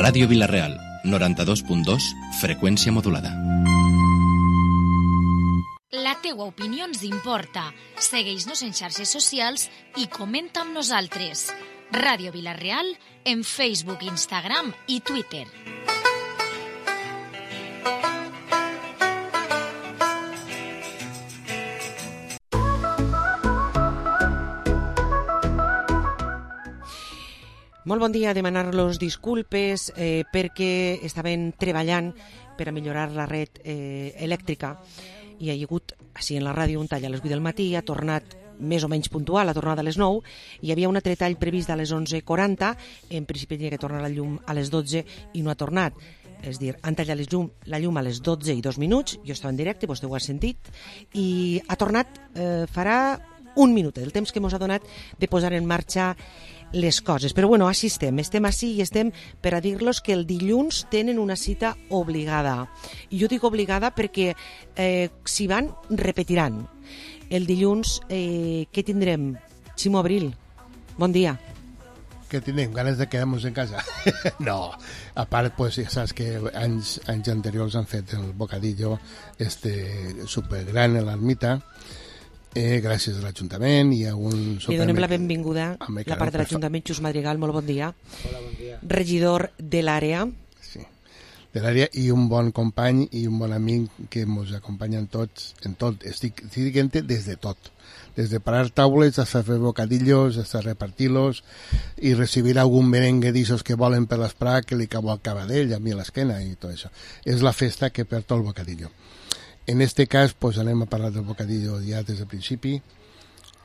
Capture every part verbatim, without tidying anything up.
Ràdio Vila-real, noranta-dos punt dos, freqüència modulada. La teua opinió ens importa. Segueix-nos en xarxes socials i comenta amb nosaltres. Ràdio Vila-real en Facebook, Instagram i Twitter. Molt bon dia, demanar-los disculpes eh, perquè estaven treballant per a millorar la red eh, elèctrica i hi ha hagut, així en la ràdio, un tall a les vuit del matí, ha tornat més o menys puntual, ha tornat a les nou, hi havia un altre tall previst a les onze quaranta, en principi tenia que tornar la llum a les dotze i no ha tornat. És a dir, han tallat llum, la llum a les dotze i dos minuts, jo estava en directe, vostè ho ha sentit, i ha tornat, eh, farà un minut, el temps que ens ha donat de posar en marxa les coses. Però bueno, així estem, estem així i estem per a dir-los que el dilluns tenen una cita obligada. I jo dic obligada perquè eh, si van, repetiran. El dilluns, eh, què tindrem? Ximo Abril, bon dia. Que tenim ganes de quedar-nos en casa. No, a part, pues, ja saps que anys, anys anteriors han fet el bocadillo este supergran a l'ermita, eh, gràcies a l'Ajuntament i a un... Li donem la benvinguda a la part de l'Ajuntament, Xus Madrigal, molt bon dia. Hola, bon dia. Regidor de l'àrea. Sí, de l'àrea i un bon company i un bon amic que ens acompanyen tots en tot. Estic, estic dient-te des de tot. Des de parar taules hasta fer bocadillos, hasta repartir-los i recibir algun merengue d'ixos que volen per l'esprà que li cau al cabadell, a mi a l'esquena i tot això. És la festa que perd el bocadillo. En este cas, pues, anem a parlar del bocadillo ja des del principi.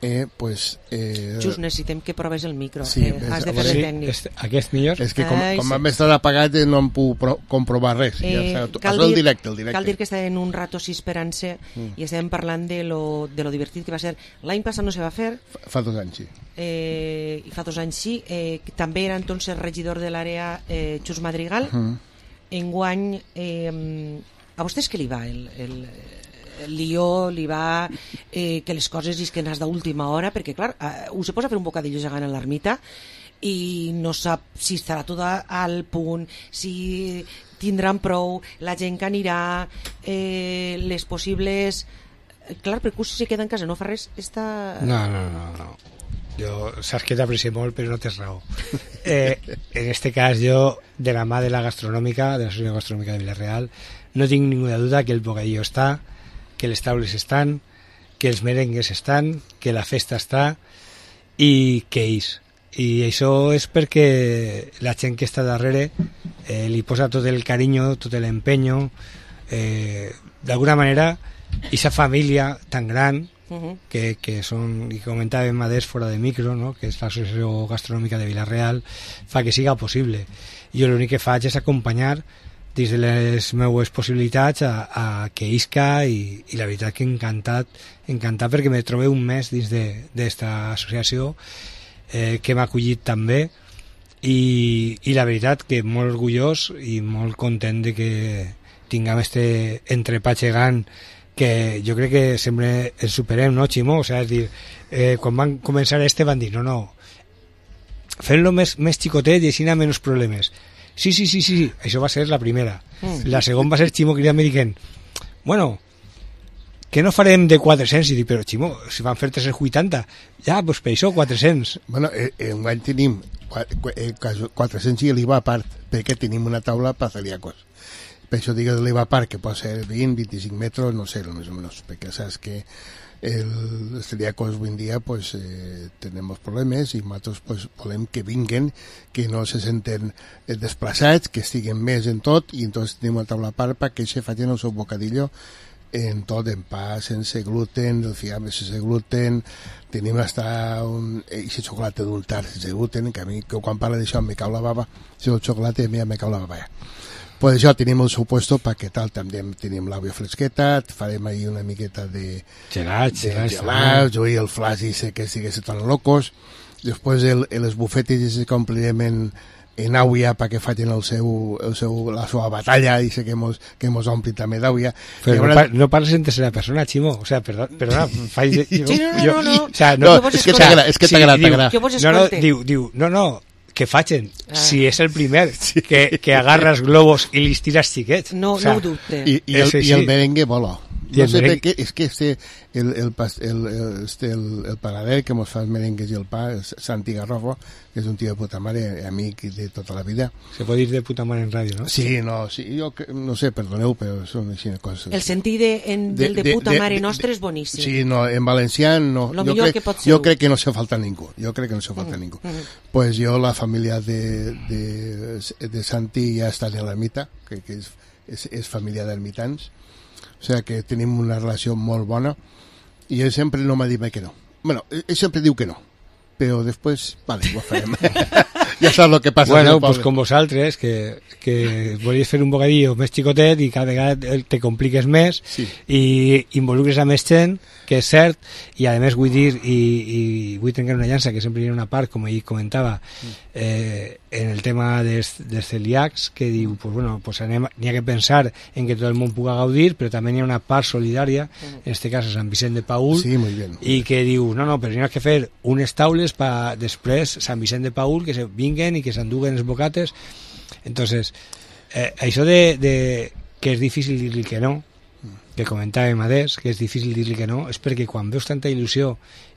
Eh, pues, eh... Just necessitem que proves el micro. Sí, eh, has de fer el tècnic. Sí, aquest millor? És que com, com hem estat apagat no em puc pro comprovar res. Eh, ja, cal, dir, dir, el directe, el directe. cal dir que estàvem un rato així esperant-se mm. i estàvem parlant de lo, de lo divertit que va ser. L'any passat no se va fer. Fa, fa dos anys, sí. Eh, I fa dos anys sí. Eh, també era entonces regidor de l'àrea eh, Xus Madrigal. Mm. Enguany, eh, a vostès què li va el... el el lió, li va eh, que les coses és que n'has d'última hora perquè clar, eh, us se posa a fer un bocadillo gegant a l'ermita i no sap si estarà tot al punt, si tindran prou, la gent que anirà, eh, les possibles... Clar, perquè si se queda en casa no fa res, està... No, no, no, no. Jo, saps que t'aprecio molt, però no tens raó. Eh, en este cas, jo, de la mà de la gastronòmica, de l'Associació Gastronòmica de Vila-real, no tinc ninguna duda que el bocadillo està, que les taules estan, que els merengues estan, que la festa està i que és. I això és perquè la gent que està darrere eh, li posa tot el carinyo, tot l'empenyo, eh, d'alguna manera, aquesta família tan gran uh-huh. que, que són, i comentàvem a des fora de micro, no? Que és l'Associació Gastronòmica de Vila-real, fa que siga possible. Jo l'únic que faig és acompanyar dins de les meues possibilitats a, a que isca i, i la veritat que encantat, encantat perquè me trobo un mes dins d'esta associació eh, que m'ha acollit també i, i la veritat que molt orgullós i molt content de que tinguem este entrepà gegant que jo crec que sempre el superem, no, Ximo? O sea, és dir, eh, quan van començar este van dir, no, no, fem-lo més, més xicotet i així n'hi ha menys problemes. Sí, sí, sí, sí, això va ser la primera. Mm. La segona va ser Ximo cridant me dient, bueno, que no farem de quatre-cents? I dic, però Ximo, si van fer tres-cents vuitanta, ja, doncs per això quatre-cents. Bueno, eh, en guany tenim quatre-cents i l'I V A a part, perquè tenim una taula per celíacos. Per això dic l'I V A a part, que pot ser vint, vint-i-cinc metres, no sé, més o menys, perquè saps que el celíacos avui en dia pues eh, tenemos problemes i nosaltres pues, volem que vinguen, que no se senten desplaçats, que estiguen més en tot i entonces tenim una taula a part perquè se facin el seu bocadillo en tot, en pa, sense gluten, el fiambre sense gluten, tenim hasta un ese xocolate adultar sense gluten, que a mi que quan parla d'això me cau la bava, si el xocolate a mi me cau la bava ja. Pues això tenim el seu puesto perquè tal, també tenim l'àvia fresqueta, farem ahí una miqueta de gelats, de gelats, jo i el flaç i sé que estigués tan locos, després el, les bufetes i se complirem en, en àvia perquè facin el seu, el seu, la seva batalla i sé que mos, que mos ompli també d'àvia. Però no, par no parles en tercera persona, Ximo, o sea, perdona, perdona faig... Jo, sí, no, no, no, no, o sea, no, no, és que t'agrada, és que t'agrada. No, no, diu, diu, no, no, què facin? Ah. Si és el primer sí. que, que agarra els globos i li tires xiquets. No, o sea, no ho dubte. I, i, el, i el merengue vola. I no sé merengue... per què, és que este, el, el, el, el, este, el, el panader que mos fa els merengues i el pa, Santi Garrofo, que és un tio de puta mare, amic de tota la vida. Se pot dir de puta mare en ràdio, no? Sí, no, sí, jo no sé, perdoneu, però són així coses. El sentit de, en, del de, de puta de, mare de, nostre és boníssim. Sí, no, en valencià no. Lo jo crec, que pot ser. Jo crec que no se falta ningú, jo crec que no se falta mm, ningú. Mm. Pues jo, la família de, de, de Santi ja està en l'ermita, que, que és, és, és família d'ermitans, o sigui que tenim una relació molt bona i ell sempre no m'ha dit mai que no. Bueno, ell sempre diu que no, però després, vale, ho farem. Ja saps el que passa. Bueno, pues com vosaltres, que, que volies fer un bocadillo més xicotet i cada vegada te compliques més sí. i involucres a més gent, que és cert, i a més vull dir, i, i vull trencar una llança, que sempre hi ha una part, com ell comentava, eh, en el tema dels, dels celíacs, que diu, pues bueno, pues anem, n'hi ha que pensar en que tot el món pugui gaudir, però també n'hi ha una part solidària, en este cas a Sant Vicent de Paül, sí, muy bien. I que diu, no, no, però n'hi ha que fer unes taules per després Sant Vicent de Paül, que se vinguen i que s'enduguen els bocates. Entonces, eh, això de, de que és difícil dir-li que no, que comentàvem adés, que és difícil dir-li que no, és perquè quan veus tanta il·lusió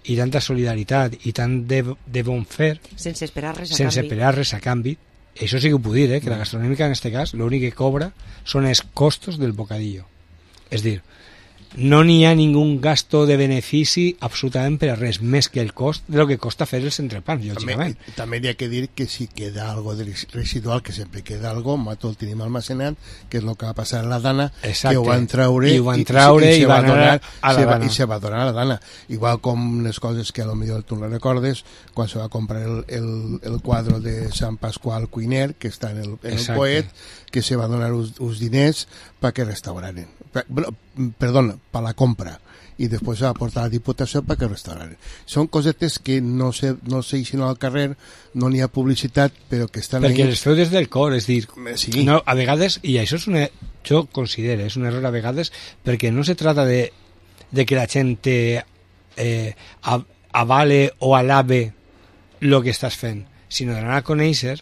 i tanta solidaritat i tant de, de bon fer, sense esperar res a sense canvi, esperar res a canvi, això sí que ho puc dir, eh, que la gastronòmica en este cas l'únic que cobra són els costos del bocadillo. És dir, no n'hi ha ningú gasto de benefici absolutament per a res, més que el cost de lo que costa fer els entrepans, lògicament. També, també hi ha que dir que si queda algo de residual, que sempre queda algo, nosaltres el tenim almacenat, que és el que va passar a la Dana, exacte, que ho van traure i, ho van traure, i, i, i, va donar a la se va, Dana. I se va donar a la Dana. Igual com les coses que a lo millor tu no recordes, quan se va comprar el, el, el quadre de Sant Pasqual Cuiner, que està en el, en el Poet, que se va donar uns, uns diners perquè restauraren. Bueno, perdona, per la compra, i després se va portar a la Diputació perquè restauraren. Són cosetes que no se, no se eixen al carrer, no n'hi ha publicitat, però que estan... Perquè ahí. Les feu des del cor, és dir, sí. No, a vegades, i això és una, jo considero, és un error a vegades, perquè no se trata de, de que la gent te eh, avale o alabe el que estàs fent, sinó d'anar a conèixer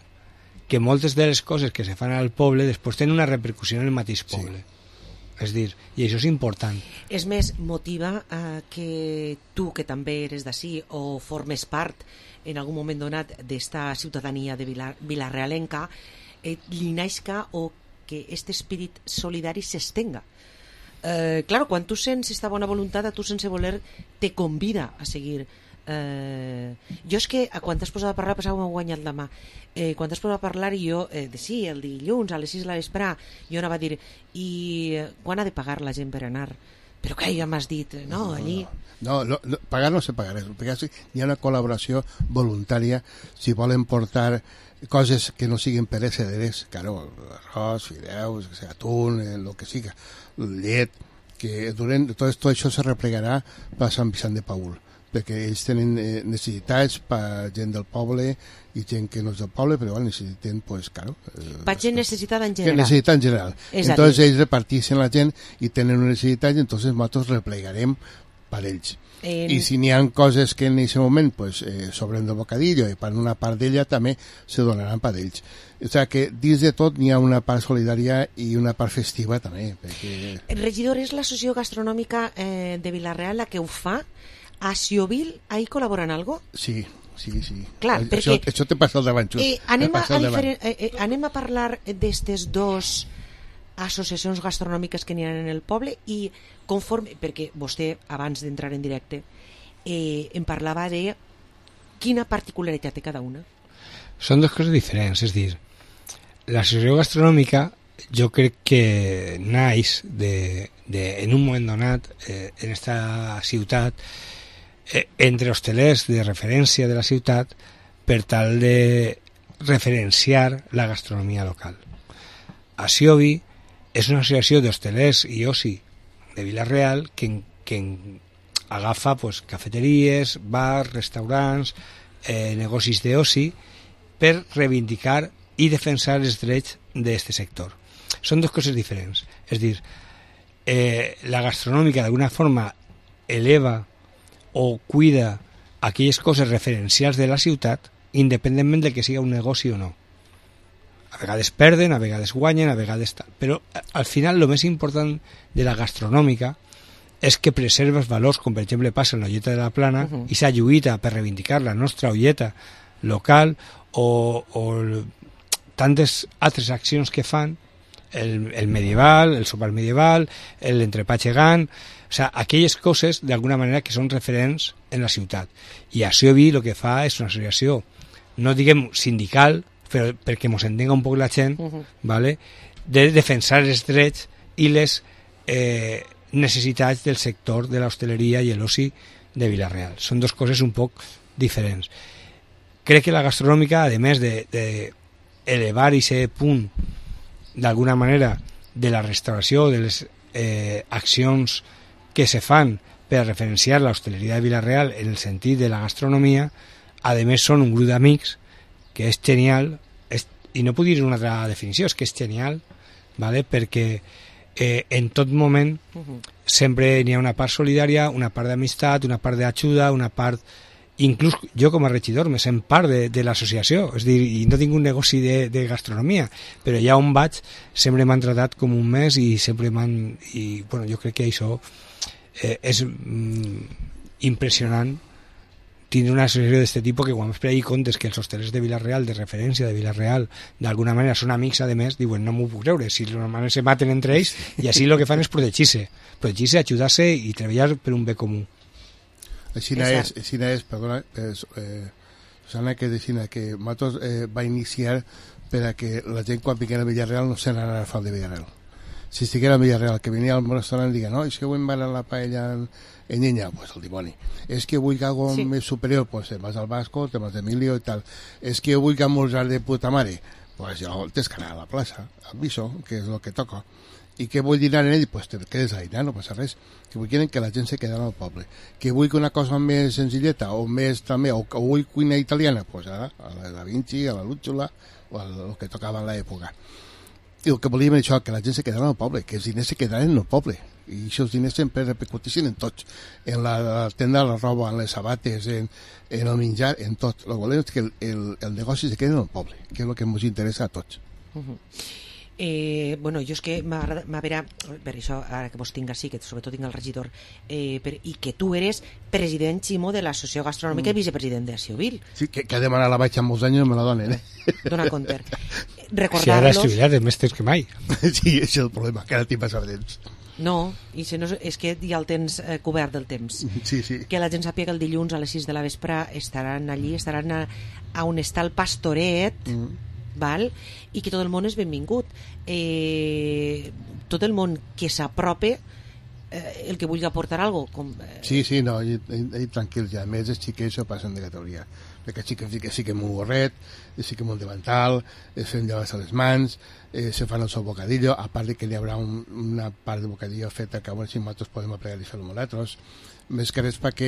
que moltes de les coses que se fan al poble després tenen una repercussió en el mateix poble. Sí. És dir, i això és important. És més, motiva eh, que tu, que també eres d'ací o formes part en algun moment donat d'esta ciutadania de Vilar, vilarrealenca, eh, li naixca o que aquest espírit solidari s'estenga. Eh, claro, quan tu sents esta bona voluntat, a tu sense voler te convida a seguir. Eh, jo és que quan t'has posat a parlar pensava que m'ho guanyat la mà. Eh, quan t'has posat a parlar i jo eh, de, sí, el dilluns a les sis de la vesprà, jo anava a dir i eh, quan ha de pagar la gent per anar? Però que ja m'has dit, no, allí no, no, no, pagar no se pagarà, perquè hi ha una col·laboració voluntària si volen portar coses que no siguin perecederes, claro, arròs, fideus, atún, eh, lo que siga, llet, que durant tot, tot això se replegarà per Sant Vicent de Paül, perquè ells tenen eh, necessitats per gent del poble i gent que no és del poble, però bueno, necessiten, pues, claro... Eh, per gent necessitada en general. Que necessita en general. És entonces ells repartixen la gent i tenen una necessitat i entonces nosaltres replegarem per ells. En... I si n'hi ha coses que en aquest moment pues, eh, sobren del bocadillo i per una part d'ella també se donaran per ells. O sigui que dins de tot n'hi ha una part solidària i una part festiva també. Perquè... Regidor, és l'associació gastronòmica eh, de Vilarreal la que ho fa. A Xiovil, ahí col·laboren algo? Sí, sí, sí. Clar, això, perquè, això te passa al davant, just. Eh, anem, a, a diferent, eh, eh, anem a parlar d'estes dos associacions gastronòmiques que n'hi ha en el poble i conforme, perquè vostè abans d'entrar en directe eh, em parlava de quina particularitat té cada una. Són dues coses diferents, és dir, l'associació gastronòmica jo crec que naix de, de, en un moment donat eh, en esta ciutat eh, entre hostelers de referència de la ciutat per tal de referenciar la gastronomia local. Asiobi és una associació d'hostelers i oci de Vilarreal que, que agafa pues, cafeteries, bars, restaurants, eh, negocis d'oci per reivindicar i defensar els drets d'aquest sector. Són dues coses diferents. És dir, eh, la gastronòmica d'alguna forma eleva o cuida aquelles coses referencials de la ciutat, independentment de que siga un negoci o no. A vegades perden, a vegades guanyen, a vegades tal. Però al final el més important de la gastronòmica és que preserva els valors, com per exemple passa en l'Olleta de la Plana, uh -huh. i s'ha lluita per reivindicar la nostra olleta local o, o tantes altres accions que fan, el, el medieval, el sopar medieval, l'entrepà gegant, o sea, aquelles coses d'alguna manera que són referents en la ciutat. I a Siobi el que fa és una associació, no diguem sindical, però perquè mos entenga un poc la gent, uh -huh. ¿vale? De defensar els drets i les eh, necessitats del sector de l'hostaleria i l'oci de Vila-real. Són dues coses un poc diferents. Crec que la gastronòmica, a més de, de elevar aquest punt d'alguna manera de la restauració, de les eh, accions que se fan per a referenciar l'hostaleria de Vila-real en el sentit de la gastronomia, a més són un grup d'amics que és genial, és, i no puc dir una altra definició, és que és genial, ¿vale? Perquè eh, en tot moment uh-huh. sempre n'hi ha una part solidària, una part d'amistat, una part d'ajuda, una part... Inclús jo com a regidor me sent part de, de l'associació, és a dir, i no tinc un negoci de, de gastronomia, però ja on vaig sempre m'han tratat com un mes i sempre m'han... I bueno, jo crec que això eh, és mm, impressionant tindre una associació d'aquest tipus que quan es pregi comptes que els hostelers de Vila-real, de referència de Vila-real, d'alguna manera són amics, a més, diuen, no m'ho puc creure, si d'alguna manera se maten entre ells, i així el que fan és protegir-se, protegir-se, ajudar-se i treballar per un bé comú. Així és, així és, perdona, eh, Susana, que decina que Matos eh, va iniciar per a que la gent quan vinguera a Villarreal no se n'anara a fal de Villarreal. Si estiguera a Villarreal, que venia al restaurant i diga, no, és que avui em van a la paella en, en llenya, pues el dimoni. És que vull algo sí. més superior, pues te'n vas al Vasco, te'n vas d'Emilio i tal. És que vull almorzar de puta mare, pues jo tens que anar a la plaça, al Viso, que és el que toca. I què vull dinar en ell? Pues te quedes allà, no passa res. Que vull que la gent se quedi al poble. Que vull que una cosa més senzilleta, o més també, o, o vull cuina italiana, pues ara, a la Da Vinci, a la Lúxula, o el que tocava en l'època. I el que volíem és això, que la gent se quedara al poble, que els diners se quedaren en el poble. I aquests diners sempre repercutissin en tots. En la, la tenda de la roba, en les sabates, en, en el menjar, en tot. El que volem és que el, el, el negoci se quedi en el poble, que és el que ens interessa a tots. Uh-huh. Eh, bueno, jo és que m'agrada, per això, ara que vos tinc així, que sobretot tinc el regidor, eh, per, i que tu eres president, Ximo, de l'Associació Gastronòmica mm. i vicepresident de Siobil. Sí, que, que ha demanat la baixa molts anys i no me la donen, eh? Dona compte. Recordar-los... Si ara has jubilat, més temps que mai. Sí, és el problema, que ara tinc passat temps. No, i si no, és que ja el tens eh, cobert del temps. Sí, sí. Que la gent sàpiga que el dilluns a les sis de la vespre estaran allí, estaran a, a on està el pastoret, mm. val? I que tot el món és benvingut. Eh, tot el món que s'aprope, eh, el que vulgui aportar alguna cosa. Com, eh... Sí, sí, no, i, i, i tranquils, ja. A més, els xiquets ho passen de categoria. Perquè els xiquets sí que, sí que un gorret, sí que un davantal, es fem llaves a les mans, eh, se fan el seu bocadillo, a part de que hi haurà un, una part de bocadillo feta que a veure si nosaltres podem apregar i fer-lo nosaltres. Més que res perquè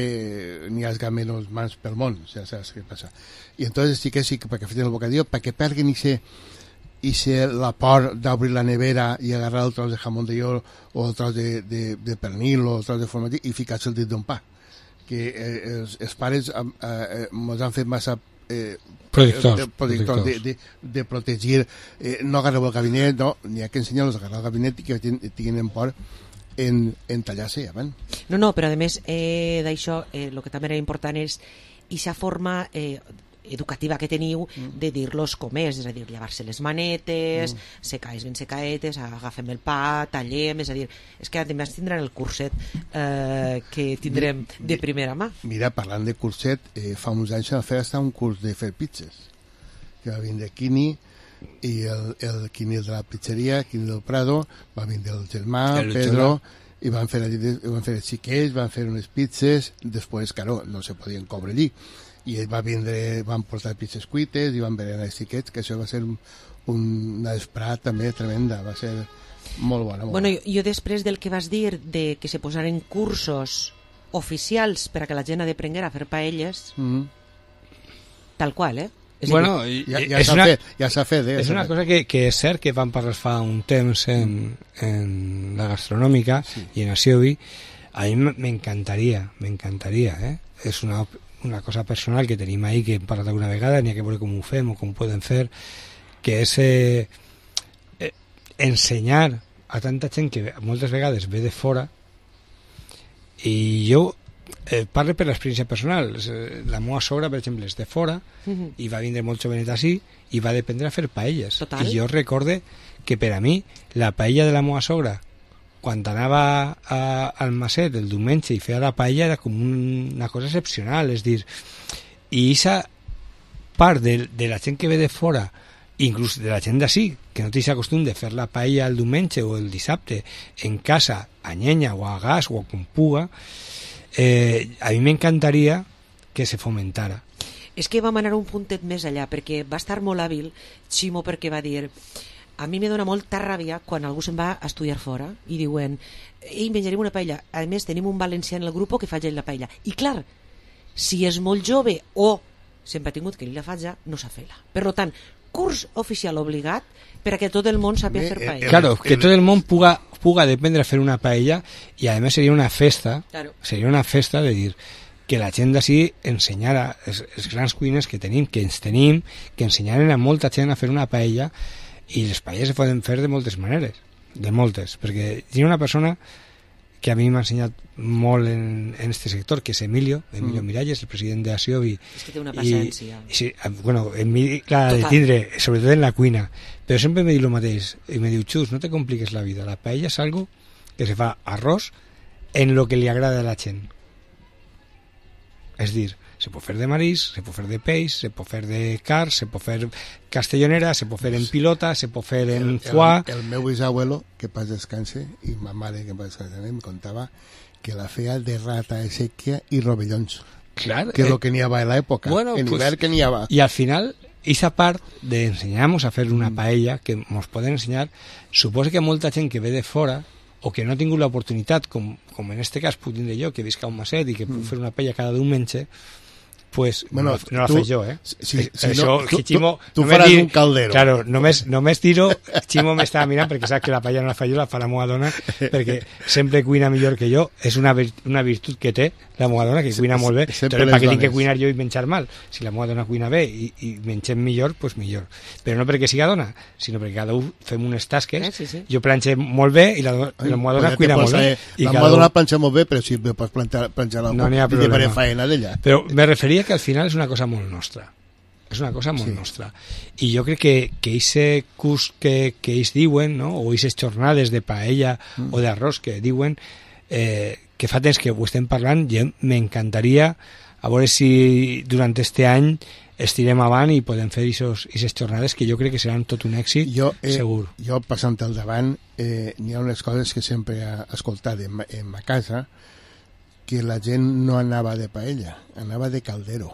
n'hi hagi menys mans pel món, ja saps què passa. I entonces sí que sí que perquè feten el bocadillo, perquè perguin ixe, ixe la por d'obrir la nevera i agarrar el tros de jamón de york o el tros de, de, de pernil o el tros de formatge i ficar-se el dit d'un pa. Que eh, els, els pares eh, eh, ens han fet massa eh, protectors, de, protectors de, de, de protegir, eh, no agarreu el gabinet, no, n'hi ha que ensenyar-los a agarrar el gabinet i que tinguin por en, en tallar-se avant. No, no, però a més eh, d'això, eh, el que també era important és aquesta forma eh, educativa que teniu mm. de dir-los com és, és a dir, llevar-se les manetes, mm. secaes ben secaetes, agafem el pa, tallem, és a dir, és que a més tindran el curset eh, que tindrem de primera mà. Mira, parlant de curset, eh, fa uns anys va fer un curs de fer pizzas, que va vindre Quini, i el, el Quini de la pizzeria, Quini del Prado, va vindre el germà, el Pedro, i van fer, van fer els xiquets, van fer unes pizzas, després, claro, no se podien cobrar allí, i ell va vindre, van portar pizzas cuites i van veure els xiquets, que això va ser un, una vesprada també tremenda, va ser molt bona. Molt bueno, bona. Jo, jo després del que vas dir de que se posaren cursos oficials per a que la gent ha d'aprenguer a fer paelles, mm-hmm. tal qual, eh? És bueno, dir, ja, ja s'ha fet, ja s'ha fet, eh? És una cosa que, que és cert que van parlar fa un temps en, en la gastronòmica sí. i en Asiobi. A mi m'encantaria, m'encantaria, eh? És una una cosa personal que tenim ahí, que hem parlat alguna vegada, n'hi ha que veure com ho fem o com ho podem fer, que és eh, eh, ensenyar a tanta gent que moltes vegades ve de fora, i jo eh, parlo per l'experiència personal. La meva sogra, per exemple, és de fora, uh-huh. i va vindre molt jovenet així, i va dependre a fer paelles. Total. I jo recorde que per a mi la paella de la meva sogra, quan anava a, al Maset el diumenge i feia la paella, era com un, una cosa excepcional. És dir, i aquesta part de, de la gent que ve de fora, inclús de la gent d'ací, que no té aquest costum de fer la paella el diumenge o el dissabte en casa, a llenya o a gas o com puga, eh, a mi m'encantaria que se fomentara. És que vam anar un puntet més allà, perquè va estar molt hàbil Ximo, perquè va dir: a mi me dona molta ràbia quan algú se'n va a estudiar fora i diuen: ei, menjarem una paella. A més, tenim un valencià en el grup que faig ell la paella. I clar, si és molt jove o sempre ha tingut que ell la faig, no sap fer-la. Per tant, curs oficial obligat per a que tot el món sàpiga fer paella. Claro, que tot el món puga, puga dependre a fer una paella, i a més seria una festa, claro. Seria una festa de dir que la gent d'ací ensenyara els, els grans cuines que tenim, que ens tenim, que ensenyaren a molta gent a fer una paella, i les paelles se poden fer de moltes maneres, de moltes, perquè hi ha una persona que a mi m'ha ensenyat molt en, en este sector, que és Emilio, Emilio mm. Miralles, el president de Asiobi. És que té una paciència. I, sí, bueno, Emilio, clar, de tindre, sobretot en la cuina, però sempre me diu el mateix, i me diu: Xus, no te compliques la vida, la paella és algo que se fa arròs en lo que li agrada a la gent. És dir, se pot fer de marisc, se pot fer de peix, se pot fer de carn, se pot fer castellonera, se pot fer en pilota, se pot fer en foie. El, el, el meu bisabuelo, que pas descanse, i ma mare, que pas descanse, em contava que la feia de rata de sèquia i rovellons. Clar, que és eh, el que n'hi havia a l'època. Bueno, en pues, hivern que n'hi havia. I al final, esa part de ensenyar-nos a fer una paella, que ens poden ensenyar, suposa que molta gent que ve de fora, o que no ha tingut l'oportunitat, com, com en este cas puc tindre jo, que visc a un maset i que puc mm. fer una paella cada diumenge, pues bueno, no, no la faig jo, eh? Si, si Això, no, que Ximo, tu, tu faràs dir, un caldero. Claro, només, només tiro, Ximo m'estava mirant perquè sap que la paella no la faig jo, la fa la meva dona, perquè sempre cuina millor que jo. És una, una virtut que té la meva dona, que cuina molt bé. Entonces, per què tinc que cuinar jo i menjar mal? Si la meva dona cuina bé i, i mengem millor, pues millor. Però no perquè siga dona, sinó perquè cada un fem unes tasques. Eh, sí, sí. Jo planxe molt bé i la, la meva dona cuina molt bé. La meva dona planxa molt bé, però si pots planxar, planxar la no n'hi ha problema. I faena d'ella. Però me referia que al final és una cosa molt nostra. És una cosa molt sí. nostra. I jo crec que que ese curs que, que ells diuen, no? O aquestes jornades de paella mm. o d'arròs que diuen, eh, que fa temps que ho estem parlant, jo m'encantaria a veure si durant este any estirem avant i podem fer aquestes jornades que jo crec que seran tot un èxit, jo, eh, segur. Jo, passant al davant, eh, n'hi ha unes coses que sempre he escoltat en, en ma casa, que la gent no anava de paella, anava de caldero.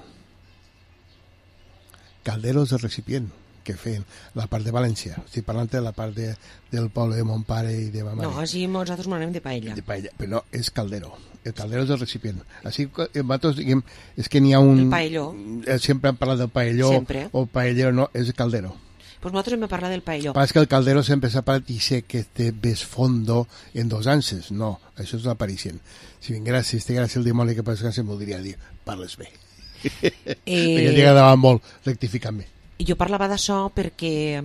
Calderos de recipient que feien la part de València. Estic parlant de la part de, del poble de mon pare i de ma mare. No, així nosaltres m'anem de paella. De paella, però no, és caldero. El caldero és del recipient. Així que nosaltres diguem, és que n'hi ha un... El paelló. Sempre hem parlat del paelló, sempre. O paellero, no, és el caldero. Pues nosaltres hem parlat del paelló. Pas que el caldero sempre s'ha parlat i sé que té més fondo en dos anses. No, això és l'aparicient. Si vinguera, si estigués el dimoni que pas que se'm voldria dir, parles bé. Eh... perquè li agradava molt rectificar-me. Jo parlava d'això perquè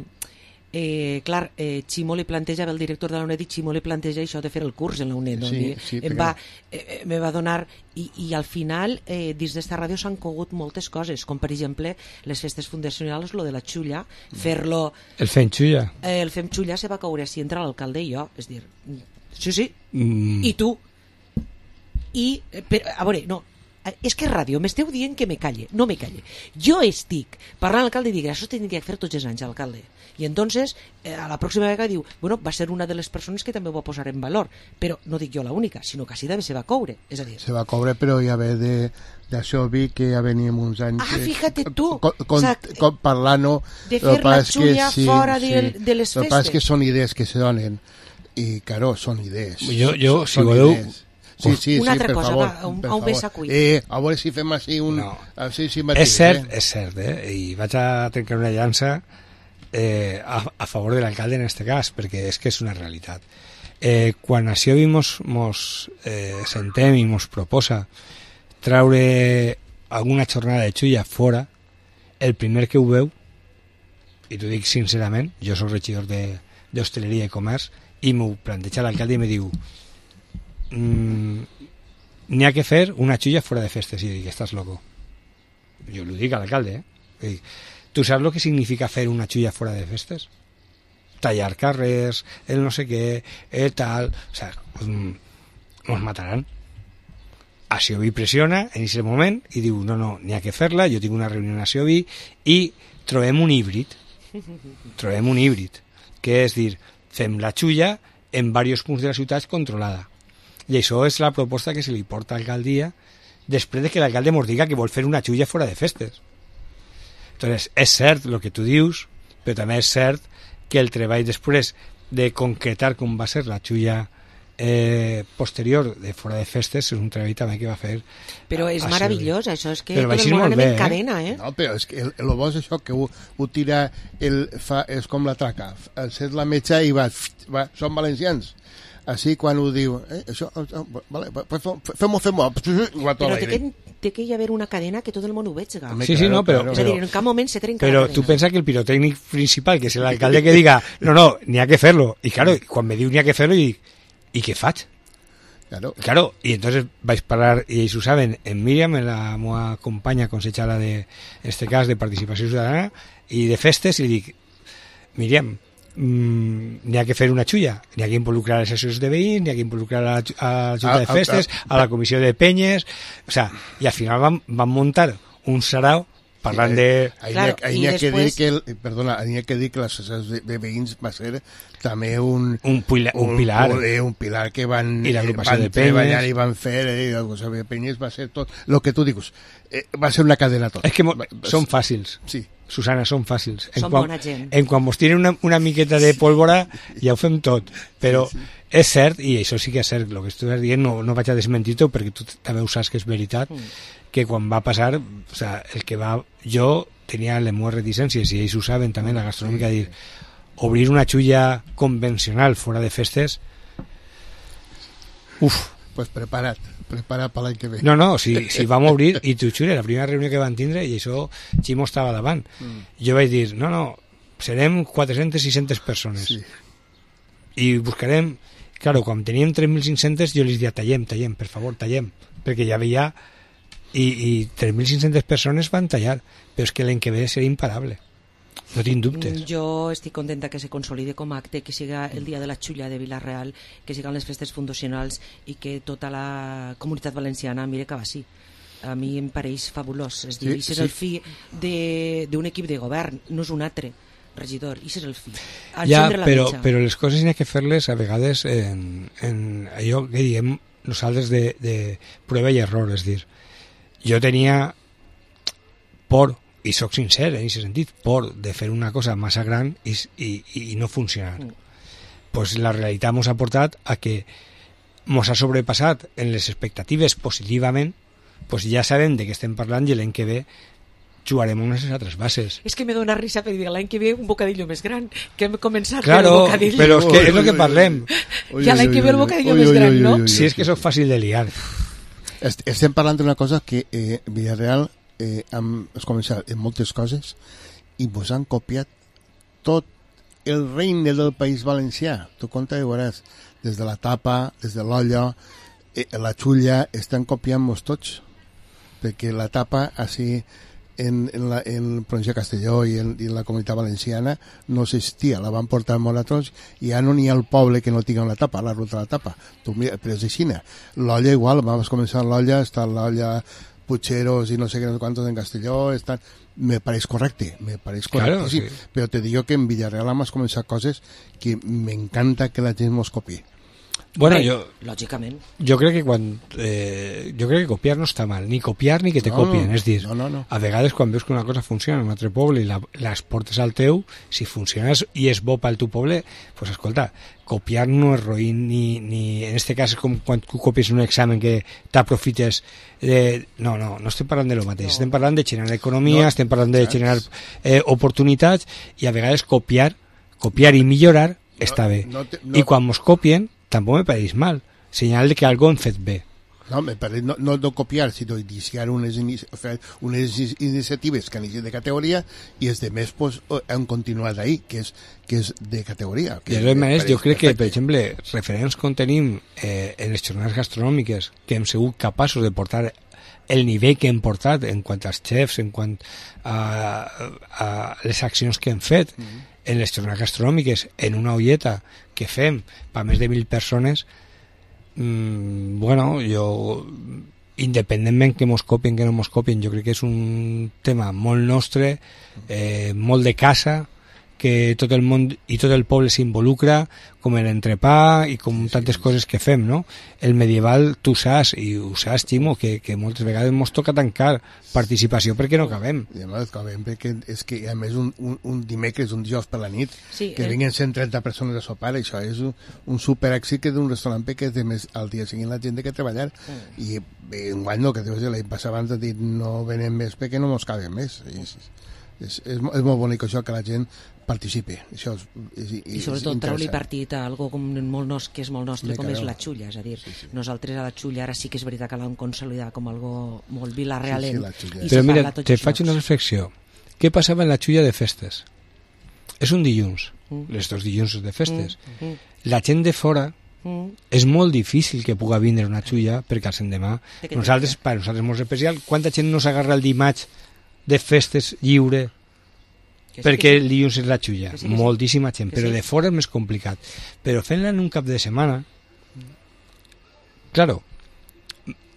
eh, clar, eh, Ximo li plantejava, el director de la UNED, i Ximo li planteja això de fer el curs en la UNED, sí, sí, em va, eh, me va donar i, i al final eh, dins d'esta ràdio s'han cogut moltes coses, com per exemple les festes fundacionals, lo de la xulla, fer-lo... El fem xulla. Eh, el fem xulla se va caure si entra l'alcalde i jo, és dir, sí, sí, mm. i tu i, però, a veure, no, és que ràdio, m'esteu dient que me calle, no me calle. Jo estic parlant amb l'alcalde i dic, això tindria que fer tots els anys, alcalde. I entonces, eh, a la pròxima vegada diu, bueno, va ser una de les persones que també ho va posar en valor, però no dic jo la única, sinó que així també se va coure. És a dir... Se va coure, però ja ve de, d'això vi que ja veníem uns anys... Ah, fíjate tu! Con, con, o sea, con parlant-ho... De fer la xulla sí, fora sí, de, de les festes. El que passa és que són idees que se donen, i, claro, són idees. Jo, jo si voleu... Idees. Sí, sí, una sí, altra per cosa, favor, va, un, per un bes a cuit. Eh, a veure si fem així un... No. Així, sí, mateix, és cert, eh? és cert, eh? I vaig a trencar una llança eh, a, a favor de l'alcalde en este cas, perquè és que és una realitat. Eh, quan així mos, mos eh, sentem i mos proposa traure alguna jornada de xulla fora, el primer que ho veu, i t'ho dic sincerament, jo soc regidor d'hostaleria i comerç, i m'ho planteja l'alcalde i me diu mmm, n'hi ha que fer una xulla fora de festes. I jo dic, estàs loco. Jo li dic a l'alcalde, eh? Dic, tu saps el que significa fer una xulla fora de festes? Tallar carrers, el no sé què, el tal... O sea, nos mataran. A Sioví pressiona en aquest moment i diu, no, no, n'hi ha que fer-la, jo tinc una reunió a Sioví i trobem un híbrid. Trobem un híbrid, que és dir, fem la xulla en diversos punts de la ciutat controlada. I això és la proposta que se li porta a l'alcaldia després de que l'alcalde ens diga que vol fer una xulla fora de festes. Entonces, és cert el que tu dius, però també és cert que el treball després de concretar com va ser la xulla eh, posterior de fora de festes és un treball també que va fer. Però és a, a meravellós, això és que però tot el món anem en cadena, eh? No, però és que el, el bo és això, que ho, ho tira, el, fa, és com la traca, set la metxa i va, va, són valencians. Així quan ho diu, eh, això, vale, fem-ho, fem-ho, però té que, té que hi haver una cadena que tot el món ho veiga. Sí, sí, no, però, és a dir, en cap moment se trenca però la cadena. tu pensa que el pirotècnic principal, que és l'alcalde que diga, no, no, n'hi ha que fer-lo, i claro, quan me diu n'hi ha que fer-lo, i dic, i què faig? Claro. Claro, y entonces vais a parar, y ells ho saben, en Míriam, en la meva companya consellera de, en este cas, de participació ciutadana, i de festes, i dic, Míriam, Mm, n'hi ha que fer una xulla, n'hi ha que involucrar les associacions de veïns, n'hi ha que involucrar a la, a la Junta de Festes, a la Comissió de Penyes, o sea, i al final van, van muntar un sarau parlant de... Ahí claro, n'hi ha, ha que dir que el, perdona, n'hi ha que dir que les associacions de, de veïns va ser també un, un, pila, un, un pilar un, un pilar que van, i l'agrupació van de Penyes i van fer, eh, l'agrupació de Penyes va ser tot, el que tu dius, eh, va ser una cadena tot. És que va, són fàcils. Sí. Susana, són fàcils. En són quan, bona gent. En quan vos tiren una, una miqueta de pólvora ja ho fem tot, però sí, sí. És cert, i això sí que és cert, el que estàs dient no, no vaig a desmentir-ho perquè tu també ho saps que és veritat, mm. que quan va passar, o sea, el que va... Jo tenia les meves reticències, i ells ho saben també, la gastronòmica, dir, obrir una xulla convencional fora de festes, uf. Pues prepara't, prepara't per l'any que ve. No, no, si, si vam obrir, i t'ho jure, la primera reunió que van tindre, i això Ximo estava davant, mm. jo vaig dir, no, no, serem quatre-centes sis-centes persones. Sí. I buscarem, claro, quan teníem tres mil cinc-centes, jo els dia, tallem, tallem, per favor, tallem, perquè ja veia, i, i tres mil cinc-centes persones van tallar, però és que l'any que ve serà imparable. No tinc dubtes. Jo estic contenta que se consolide com a acte, que siga el dia de la xulla de Vila-real, que siguin les festes fundacionals i que tota la comunitat valenciana mire cap així. A mi em pareix fabulós. És dir, sí, això és sí. el fi d'un equip de govern, no és un altre regidor, això és el fi. Ja, però, però les coses n'hi ha que fer-les a vegades en, en allò que diem nosaltres de, de prova i error, és dir, jo tenia por, i sóc sincer en aquest sentit, por de fer una cosa massa gran i, i, i no funcionar. Mm. Pues la realitat ens ha portat a que ens ha sobrepassat en les expectatives positivament, pues ja sabem de què estem parlant i l'any que ve jugarem unes altres bases. És que me dona risa per dir l'any que ve un bocadillo més gran, que hem començat claro, per el bocadillo. Però és que és el que parlem. Ja l'any que ve el bocadillo més gran, no? Si és que sóc fàcil de liar. Estem parlant d'una cosa que eh, Villarreal eh, hem començat en moltes coses i vos han copiat tot el regne del País Valencià. Tu compte i veuràs, des de la tapa, des de l'olla, eh, la xulla, estan copiant-nos tots, perquè la tapa, així, en, en, la, en el província de Castelló i en, i en la comunitat valenciana no existia, la van portar a Moratons i ja no n'hi ha el poble que no tingui una tapa, la ruta de la tapa. Tu mira, però és així. L'olla igual, vam començar l'olla, està l'olla Pucheros i no sé què, no sé quantos en Castelló, estan... me pareix correcte, me pareix correcte, claro, sí. Sí. Però te digo que en Villarreal hem començat coses que m'encanta que la gent mos copi. Bueno, Bé, jo, lògicament. Jo crec que quan eh, jo crec que copiar no està mal, ni copiar ni que te no, copien, és dir, no, no, no. a vegades quan veus que una cosa funciona en un altre poble i la, les portes al teu, si funciona i és bo pel teu poble, pues escolta, copiar no és roïn ni, ni en este cas és com quan tu copies un examen que t'aprofites de... No, no, no estem parlant de lo mateix, no. Estem parlant de generar economia, no, estem parlant de generar eh, oportunitats i a vegades copiar, copiar i millorar no, està bé. No te, no. I quan mos copien tampoc me pareix mal, senyal de que algo hem fet bé. No, me parece no, no de copiar, sinó iniciar unes, inici unes iniciatives que han iniciat de categoria i els demés pues, han continuat ahí, que és, que és de categoria. Que de totes maneres, jo crec que, per exemple, referents com tenim eh, en les jornades gastronòmiques, que hem sigut capaços de portar el nivell que hem portat en quant als xefs, en quant a, a les accions que hem fet mm-hmm. en les jornades gastronòmiques, en una olleta que fem per més de mil persones, mmm, bueno, jo independentment que mos copien, que no mos copien, jo crec que és un tema molt nostre, eh, molt de casa, que tot el món i tot el poble s'involucra, com l'entrepà i com sí, tantes sí, coses que fem, no? El medieval, tu saps, i ho saps, Ximo, que, que moltes vegades mos toca tancar participació perquè no cabem. I a més, cabem perquè és que, a més, un, un, un dimecres, un dijous per la nit, sí, que el... vinguen cent trenta persones a sopar, això és un, un super èxit que d'un restaurant que és de més al dia seguint la gent que treballar. Mm. I en guany no, que deus dir, l'any passat abans de dir no venem més perquè no mos cabem més. I, és, és, és, és molt bonic això que la gent participi. Això és, és, és I sobretot treu-li partit a algo com molt nos, que és molt nostre, com és la xulla, és a dir, sí, sí. nosaltres a la xulla ara sí que és veritat que l'hem consolidat com algo molt vilarrealent. Sí, sí, però mira, te faig una reflexió. Què passava en la xulla de festes? És un dilluns, mm. les dos dilluns de festes. Mm. La gent de fora mm. és molt difícil que puga vindre una xulla perquè al endemà, nosaltres, per nosaltres és molt especial, quanta gent no s'agarra el dimarts de festes lliure sí, perquè el dilluns és la xulla, sí, moltíssima gent, però sí. de fora és més complicat. Però fent-la en un cap de setmana, claro,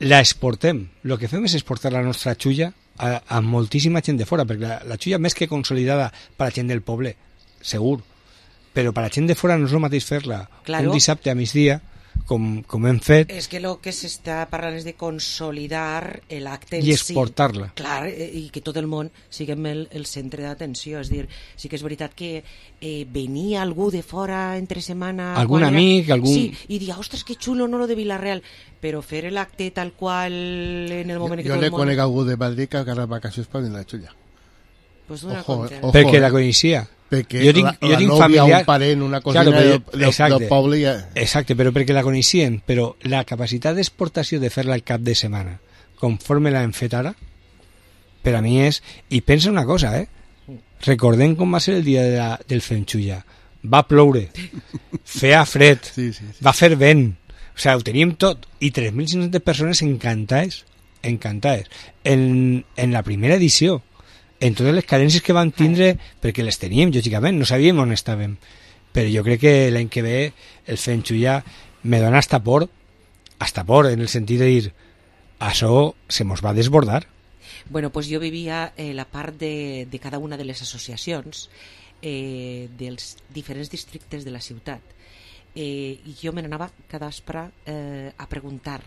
la exportem. El que fem és exportar la nostra xulla a, a moltíssima gent de fora, perquè la, la xulla més que consolidada per la gent del poble, segur, però per la gent de fora no és el mateix fer-la claro. un dissabte a migdia, com, com hem fet. És que el que s'està parlant és de consolidar l'acte en si. I exportar-la. Sí. Clar, i que tot el món siguem el, el centre d'atenció. És dir, sí que és veritat que eh, venia algú de fora entre setmana... Algun amic, era... algun... Sí, i dia, ostres, que xulo, no lo de Vilareal. Però fer l'acte tal qual en el moment jo, que tot el món... Jo ne conec algú de Madrid que agarra vacacions per venir a la xulla. Pues ojo, ojo, perquè eh? la coneixia. Perquè jo tinc, la, jo la tinc nòvia, familiar... un parent, una cosina claro, però, del, del, del poble ja... Exacte, però perquè la coneixien, però la capacitat d'exportació de fer-la al cap de setmana, conforme l'hem fet ara, per a mi és... I pensa una cosa, eh? Recordem com va ser el dia de la, del Fenxulla. Va ploure, feia fred, sí, sí, sí. va fer vent, o sigui, ho teníem tot, i tres mil cinc-centes persones encantades, encantades. En, en la primera edició, en totes les carències que vam tindre, perquè les teníem, lògicament, no sabíem on estàvem, però jo crec que l'any que ve el Fenxulla me dona hasta por, hasta por, en el sentit de dir, això se mos va desbordar. Bueno, pues jo vivia eh, la part de, de cada una de les associacions eh, dels diferents districtes de la ciutat, eh, i jo me n'anava cada vespre eh, a preguntar,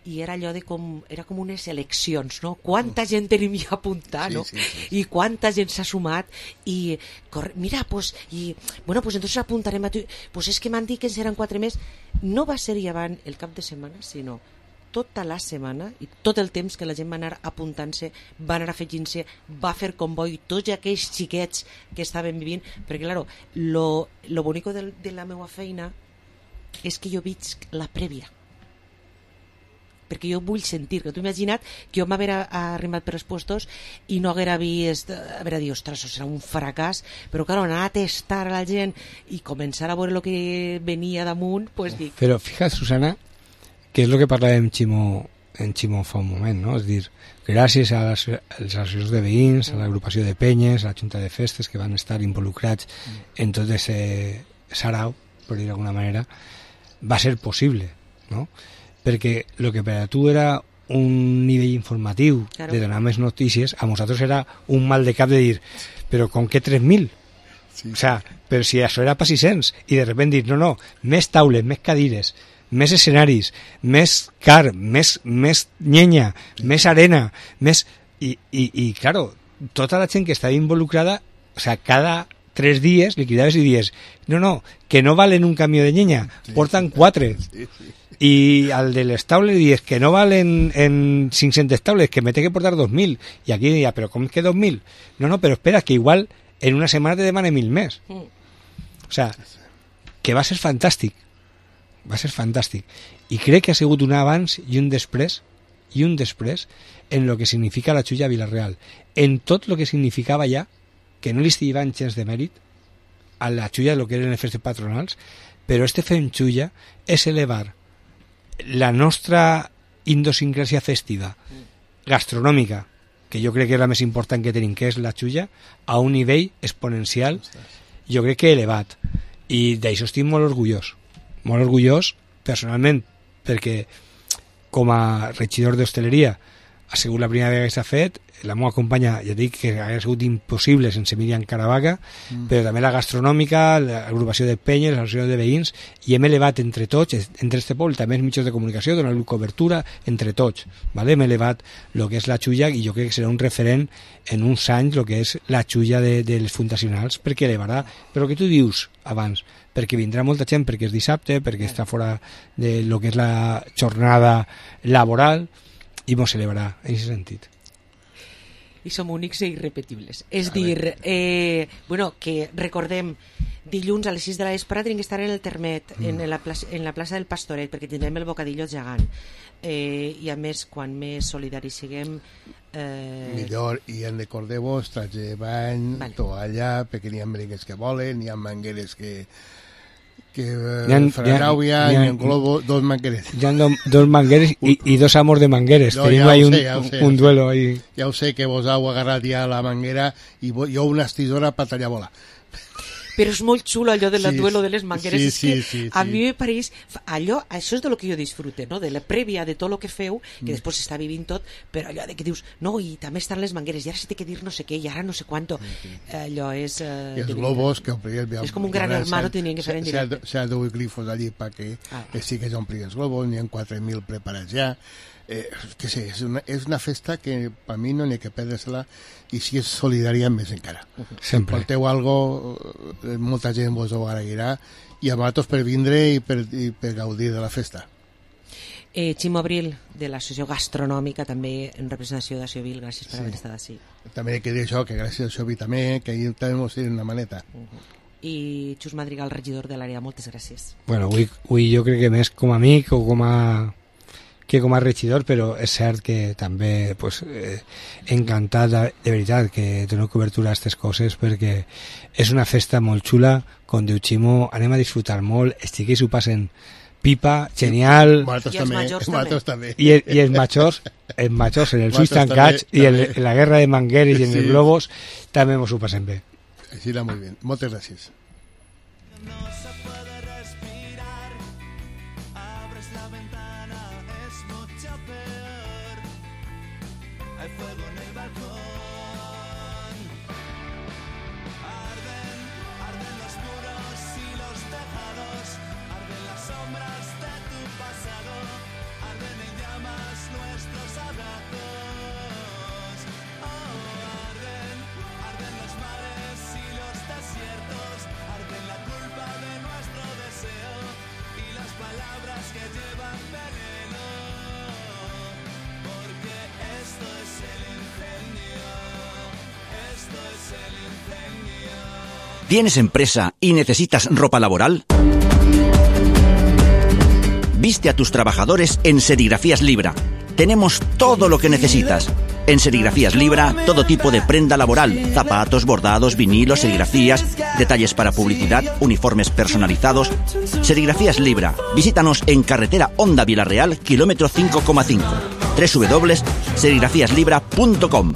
i era allò de com, era com unes eleccions, no? Quanta gent tenim ja apuntat, no? Sí, sí, sí, sí. I quanta gent s'ha sumat, i corre, mira, pues, i, bueno, pues entonces apuntarem a tu, pues és que m'han dit que en seran quatre més. No va ser llevant el cap de setmana, sinó tota la setmana i tot el temps que la gent va anar apuntant-se, va anar afegint-se, va fer comboi, tots aquells xiquets que estaven vivint, perquè, claro, lo, lo bonico de, de la meva feina és que jo veig la prèvia, perquè jo vull sentir, que tu imagina't que jo m'haguera arribat per els puestos i no haguera vist, haguera dit, ostres, això serà un fracàs, però clar, anar a testar a la gent i començar a veure el que venia damunt, pues dic... Però fixa't, Susana, que és el que parlàvem Ximo, en Ximo fa un moment, no? És dir, gràcies a les, a les associacions de veïns, a l'agrupació de penyes, a la Junta de Festes, que van estar involucrats en tot aquest sarau, per dir d'alguna manera, va ser possible, no? Perquè el que per a tu era un nivell informatiu claro. de donar més notícies, a nosaltres era un mal de cap de dir, però com que tres mil? Sí. O sea, però si això era per sis-cents, i de repente dir, no, no, més taules, més cadires, més escenaris, més car, més, més llenya, més arena, més... I, i, i claro, tota la gent que estava involucrada, o sea, cada tres dies li cridaves i dies, no, no, que no valen un camió de llenya, sí, porten quatre. Sí, sí. Y al de les taules dies que no valen en cinc-centes taules, que me té que portar dos mil, y aquí diria, pero ¿cómo es que dos mil? No, no, pero espera, que igual en una semana te demane mil més. O sea, que va ser fantàstic. va ser fantàstic. I crec que ha sigut un abans i un després, i un després, en lo que significa la Xulla a Vila-real. En tot lo que significava ja, que no li estiven gens de mèrit, a la Xulla de lo que eren les festes patronals, però este fem Xulla és elevar la nostra idiosincràsia festiva, gastronòmica, que jo crec que és la més important que tenim, que és la Xulla, a un nivell exponencial, jo crec que elevat. I d'això estic molt orgullós, molt orgullós personalment, perquè com a regidor d'hostaleria ha sigut la primera vegada que s'ha fet. La meva companya, ja dic que hauria sigut impossible sense Míriam Caravaca, mm. però també la gastronòmica, l'agrupació de penyes, l'associació de veïns, i hem elevat entre tots, entre este poble, també els mitjans de comunicació, donant-li cobertura entre tots, ¿vale? Hem elevat el que és la Xulla, i jo crec que serà un referent en uns anys el que és la Xulla de, de les fundacionals, perquè elevarà, però el que tu dius abans, perquè vindrà molta gent, perquè és dissabte, perquè està fora de lo que és la jornada laboral, i mos elevarà en aquest sentit. I som únics i irrepetibles. És dir, eh, bueno, que recordem, dilluns a les sis de la vesprada tenim que estar en el Termet, mm. en, la plaça, en la plaça del Pastoret, perquè tindrem el bocadillo gegant. Eh, I a més, quan més solidaris siguem... Eh... Millor, i en recordeu-vos, traig de bany, vale. Toalla, perquè n'hi ha merengues que volen, n'hi ha mangueres que... que uh, Franauia i en Globo, dos mangueres. Hi ha do, dos mangueres i, i dos amos de mangueres. No, tenim ja ahí un, sé, ja sé, un duelo ahí. Ja ho sé, que vos heu agarrat ja la manguera i jo una estisora per tallar bola. Però és molt xulo allò del sí, duelo de les mangueres. Sí, és que sí, sí, a sí. mi me pareix... Allò, això és de lo que jo disfrute, no? De la prèvia de tot el que feu, que mm. després s'està vivint tot, però allò de que dius, no, i també estan les mangueres, i ara se té que dir no sé què, i ara no sé quanto. Sí, sí. Allò és... Eh, I els globos que omplien... És com un gran hermano, tenien que fer en directe. S'ha de glifos allí perquè ah. sí que s'omplien els globos, n'hi ha quatre mil preparats ja. Eh, que sé, és una, és una festa que per mi no n'hi ha que perdre-se-la, i si és solidària més encara. Sempre. Porteu algo, molta gent vos ho agrairà, i a vosaltres per vindre i per, i per gaudir de la festa. Eh, Ximo Abril, de l'Associació Gastronòmica, també en representació de Xovil, gràcies per sí. haver estat així. També he de dir això, que gràcies a Xovil també, que ahir també mos tenen una maneta. Uh -huh. I Xus Madrigal, regidor de l'àrea, moltes gràcies. Bueno, avui, avui jo crec que més com a amic o com a... que com a regidor, però és cert que també pues, eh, encantat de, de veritat que dono cobertura a aquestes coses, perquè és una festa molt xula, com diu Ximo, anem a disfrutar molt, els xiquets ho passen pipa, genial, i els majors també, i, i els majors els majors en els ulls tancats i en, en la guerra de mangueres i en sí. els globos també mos ho passem bé. Així va molt bé, moltes gràcies. ¿Tienes empresa y necesitas ropa laboral? Viste a tus trabajadores en Serigrafías Libra. Tenemos todo lo que necesitas. En Serigrafías Libra, todo tipo de prenda laboral, zapatos, bordados, vinilos, serigrafías, detalles para publicidad, uniformes personalizados. Serigrafías Libra. Visítanos en carretera Honda Vila-real, kilómetro cinco coma cinco. doble u doble u doble u punto serigrafías libra punto com.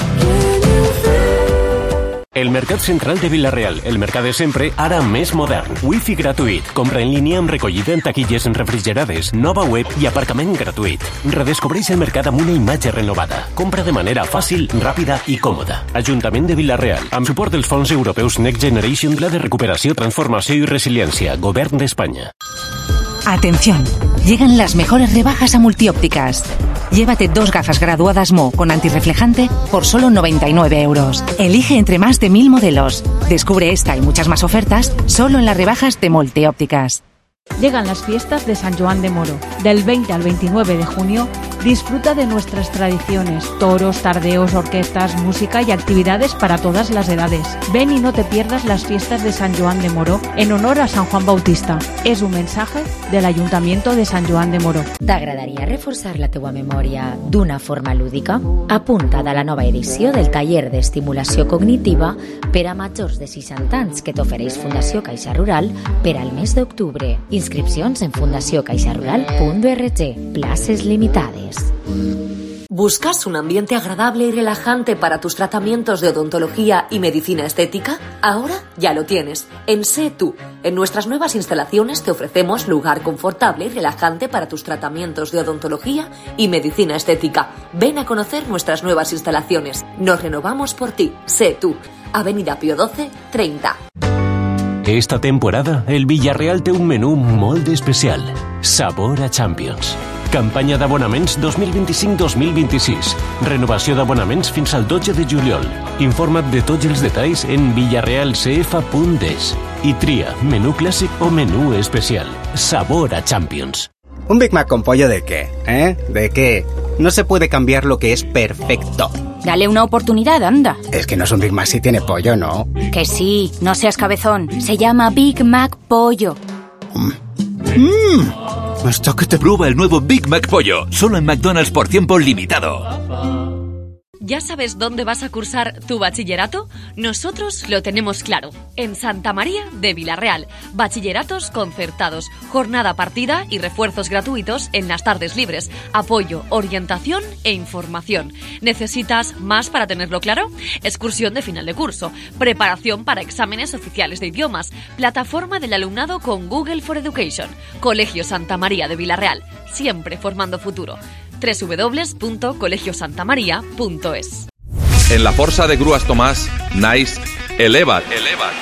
El Mercat Central de Vila-real, el mercat de sempre, ara més modern. Wifi gratuït, compra en línia amb recollida en taquilles refrigerades, nova web i aparcament gratuït. Redescobreix el mercat amb una imatge renovada. Compra de manera fàcil, ràpida i còmoda. Ajuntament de Vila-real, amb suport dels fons europeus Next Generation, Pla de Recuperació, Transformació i Resiliència, Govern d'Espanya. Atención, llegan las mejores rebajas a Multiópticas. Llévate dos gafas graduadas Mo con antirreflejante por solo noventa y nueve euros. Elige entre más de mil modelos. Descubre esta y muchas más ofertas solo en las rebajas de Multiópticas. Llegan las fiestas de San Joan de Moro. Del veinte al veintinueve de junio, disfruta de nuestras tradiciones, toros, tardeos, orquestas, música y actividades para todas las edades. Ven y no te pierdas las fiestas de San Joan de Moro en honor a San Juan Bautista. És un mensaje del Ayuntamiento de San Joan de Moro. T'agradaria reforçar la teua memòria d'una forma lúdica? Apunta't a la nova edició del taller d'estimulació cognitiva per a majors de seixanta anys que t'ofereix Fundació Caixa Rural per al mes d'octubre. Inscripcions en fundació caixa rural punto org. Places limitades. ¿Buscas un ambiente agradable y relajante para tus tratamientos de odontología y medicina estética? Ahora ya lo tienes, en Sé Tú. En nuestras nuevas instalaciones te ofrecemos lugar confortable y relajante para tus tratamientos de odontología y medicina estética. Ven a conocer nuestras nuevas instalaciones. Nos renovamos por ti. Sé Tú. Avenida Pío doce, treinta. Esta temporada, el Villarreal té un menú molt especial. Sabor a Champions. Campanya d'abonaments dos mil vint-i-cinc dos mil vint-i-sis. Renovació d'abonaments fins al dotze de juliol. Informa't de tots els detalls en villarreal c f punt es i tria menú clàssic o menú especial. Sabor a Champions. ¿Un Big Mac con pollo de qué? ¿Eh? ¿De qué? No se puede cambiar lo que es perfecto. Dale una oportunidad, anda. Es que no es un Big Mac si tiene pollo, ¿no? Que sí, no seas cabezón. Se llama Big Mac Pollo. ¡Mmm! Hasta que te prueba el nuevo Big Mac Pollo. Solo en McDonald's por tiempo limitado. ¿Ya sabes dónde vas a cursar tu bachillerato? Nosotros lo tenemos claro. En Santa María de Vilarreal. Bachilleratos concertados, jornada partida y refuerzos gratuitos en las tardes libres. Apoyo, orientación e información. ¿Necesitas más para tenerlo claro? Excursión de final de curso. Preparación para exámenes oficiales de idiomas. Plataforma del alumnado con Google for Education. Colegio Santa María de Vilarreal. Siempre formando futuro. doble u doble u doble u punto colegio santa maría punto es. En la Força de Grues Tomàs naix Eleva't, Eleva't,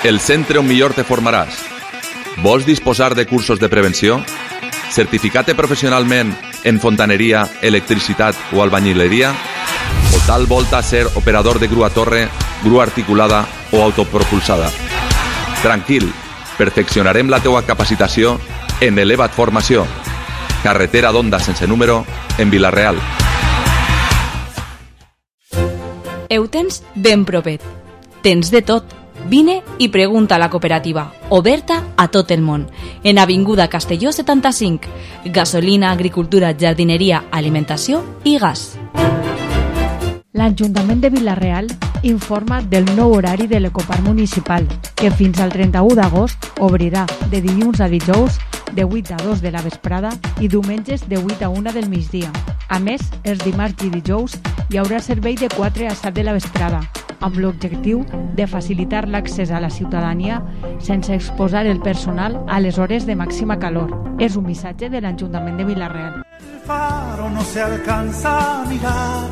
el centre on millor te formaràs. Vols disposar de cursos de prevenció? Certificat-te professionalment en fontaneria, electricitat o albañileria? O tal volta ser operador de grua torre, grua articulada o autopropulsada? Tranquil, perfeccionarem la teua capacitació en Eleva't Formació. Carretera d'Onda sense número, en Vilarreal. Ho tens ben propet. Tens de tot. Vine i pregunta a la cooperativa, oberta a tot el món. En Avinguda Castelló setanta-cinc. Gasolina, agricultura, jardineria, alimentació i gas. L'Ajuntament de Vilarreal informa del nou horari de l'Ecoparc Municipal, que fins al trenta-u d'agost obrirà de dilluns a dijous de vuit a dos de la vesprada i diumenges de vuit a una del migdia. A més, els dimarts i dijous hi haurà servei de quatre a set de la vesprada, amb l'objectiu de facilitar l'accés a la ciutadania sense exposar el personal a les hores de màxima calor. És un missatge de l'Ajuntament de Vilarreal. El faro no se alcanza a mirar.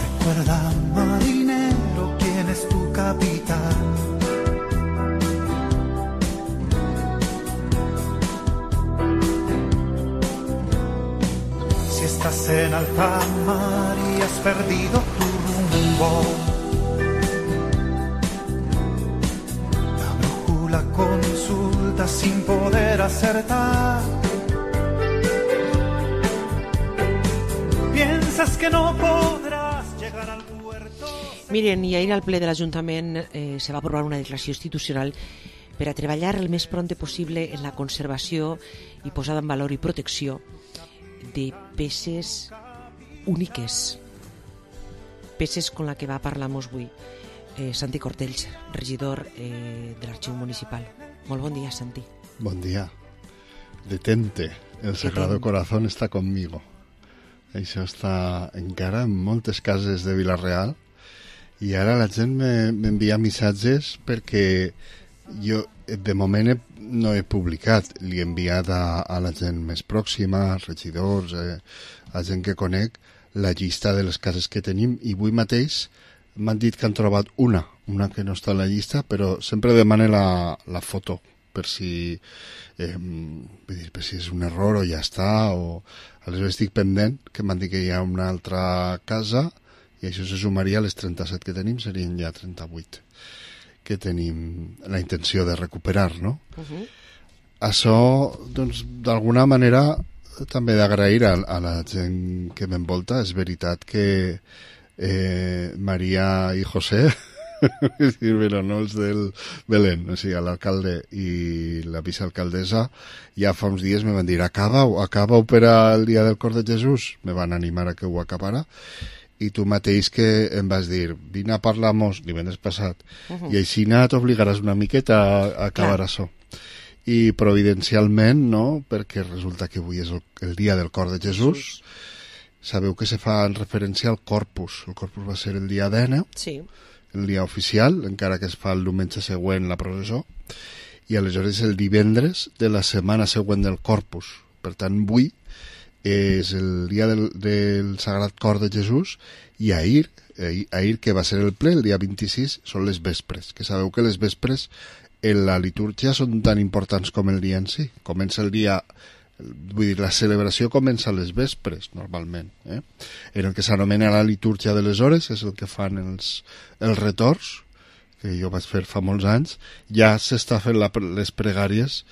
Recuerda, marinero, quién es tu capitán. Si estás en alta mar y has perdido tu rumbo, la brújula consulta sin poder acertar. Piensas que no podrás llegar al puerto. Miren, i ahir al ple de l'Ajuntament eh, se va aprovar una declaració institucional per a treballar el més pront possible en la conservació i posada en valor i protecció de peces úniques, peces con la que va parlar-nos avui eh, Santi Cortells, regidor eh, de l'Arxiu Municipal. Molt bon dia, Santi. Bon dia. Detente, el Sagrado Corazón està conmigo. Això està encara en moltes cases de Vilarreal i ara la gent m'envia missatges perquè jo de moment he, no he publicat, li he enviat a, a la gent més pròxima, als regidors, eh, a gent que conec, la llista de les cases que tenim i avui mateix m'han dit que han trobat una, una que no està a la llista, però sempre demane la, la foto per si, eh, vull dir, per si és un error o ja està, o aleshores estic pendent, que m'han dit que hi ha una altra casa i això se sumaria a les trenta-set que tenim, serien ja trenta-vuit. que tenim la intenció de recuperar, no? Uh-huh. Això, doncs, d'alguna manera també d'agrair a, a la gent que m'envolta. És veritat que eh, Maria i José però no els del Belén, o sigui, l'alcalde i la vicealcaldessa ja fa uns dies me van dir acaba-ho, acaba-ho per al dia del cor de Jesús, me van animar a que ho acabara, i tu mateix que em vas dir vine a parlar-nos divendres passat, uh-huh. i així t'obligaràs una miqueta a, a acabar Clar. Això. I providencialment, no?, perquè resulta que avui és el, el dia del cor de Jesús, sabeu que se fa en referència al Corpus, el Corpus va ser el dia deu, sí. el dia oficial, encara que es fa el diumenge següent la processó, i aleshores el divendres de la setmana següent del Corpus. Per tant, avui és el dia del, del Sagrat Cor de Jesús, i ahir, ahir, ahir que va ser el ple, el dia vint-i-sis, són les vespres, que sabeu que les vespres en la litúrgia són tan importants com el dia en si. Comença el dia... Vull dir, la celebració comença a les vespres, normalment. Eh? En el que s'anomena la litúrgia de les hores, és el que fan els, els retorns, que jo vaig fer fa molts anys, ja s'està fent la, les pregàries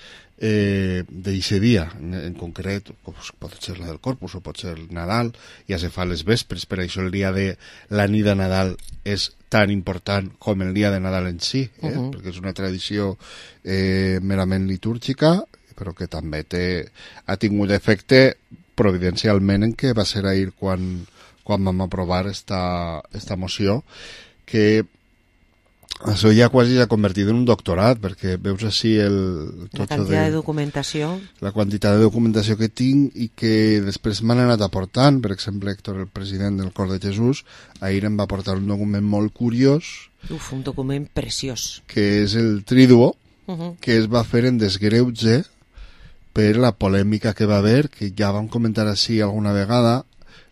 eh, d'eixe dia, en, en concret, pot ser la del Corpus o pot ser el Nadal, ja se fa les vespres, per això el dia de la nit de Nadal és tan important com el dia de Nadal en si, eh? Uh-huh. Perquè és una tradició eh, merament litúrgica, però que també té, ha tingut efecte providencialment en què va ser ahir quan, quan vam aprovar esta, esta moció, que això ja quasi s'ha convertit en un doctorat, perquè veus així el... La quantitat de, de documentació. La quantitat de documentació que tinc i que després m'han anat aportant. Per exemple, Héctor, el president del Cor de Jesús, ahir em va aportar un document molt curiós. Uf, un document preciós. Que és el Triduo, uh-huh. que es va fer en desgreuge per la polèmica que va haver, que ja vam comentar així alguna vegada,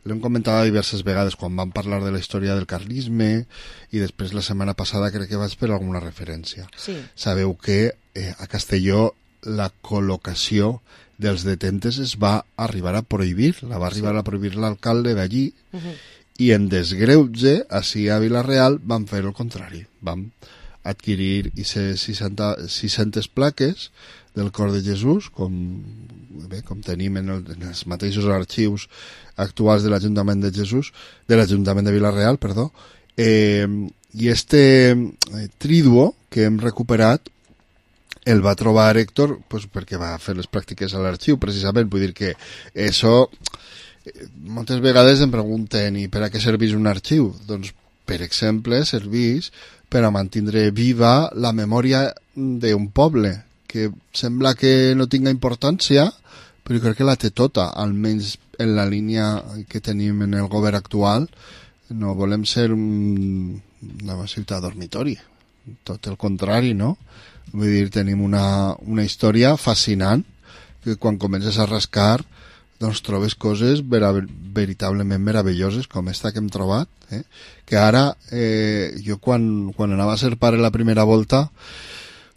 l'hem comentat diverses vegades quan vam parlar de la història del carlisme, i després la setmana passada crec que vaig fer alguna referència. Sí. Sabeu que eh, a Castelló la col·locació dels detentes es va arribar a prohibir, la va arribar sí. a prohibir l'alcalde d'allí, uh-huh. i en desgreuge, així a Vila-real, van fer el contrari. Vam adquirir sis-centes plaques del Cor de Jesús, com, bé, com tenim en, el, en els mateixos arxius actuals de l'Ajuntament de Jesús, de l'Ajuntament de Vila-real, perdó, eh, i este eh, Triduo que hem recuperat el va trobar Héctor pues, perquè va fer les pràctiques a l'arxiu, precisament, vull dir que això, moltes vegades em pregunten, i per a què serveix un arxiu? Doncs, per exemple, serveix per a mantindre viva la memòria d'un poble, que sembla que no tinga importància, però crec que la té tota, almenys en la línia que tenim en el govern actual. No volem ser un, una ciutat dormitori, tot el contrari, no? Vull dir, tenim una, una història fascinant, que quan comences a rascar doncs trobes coses vera, veritablement meravelloses, com esta que hem trobat, eh? Que ara, eh, jo quan, quan anava a ser pare la primera volta,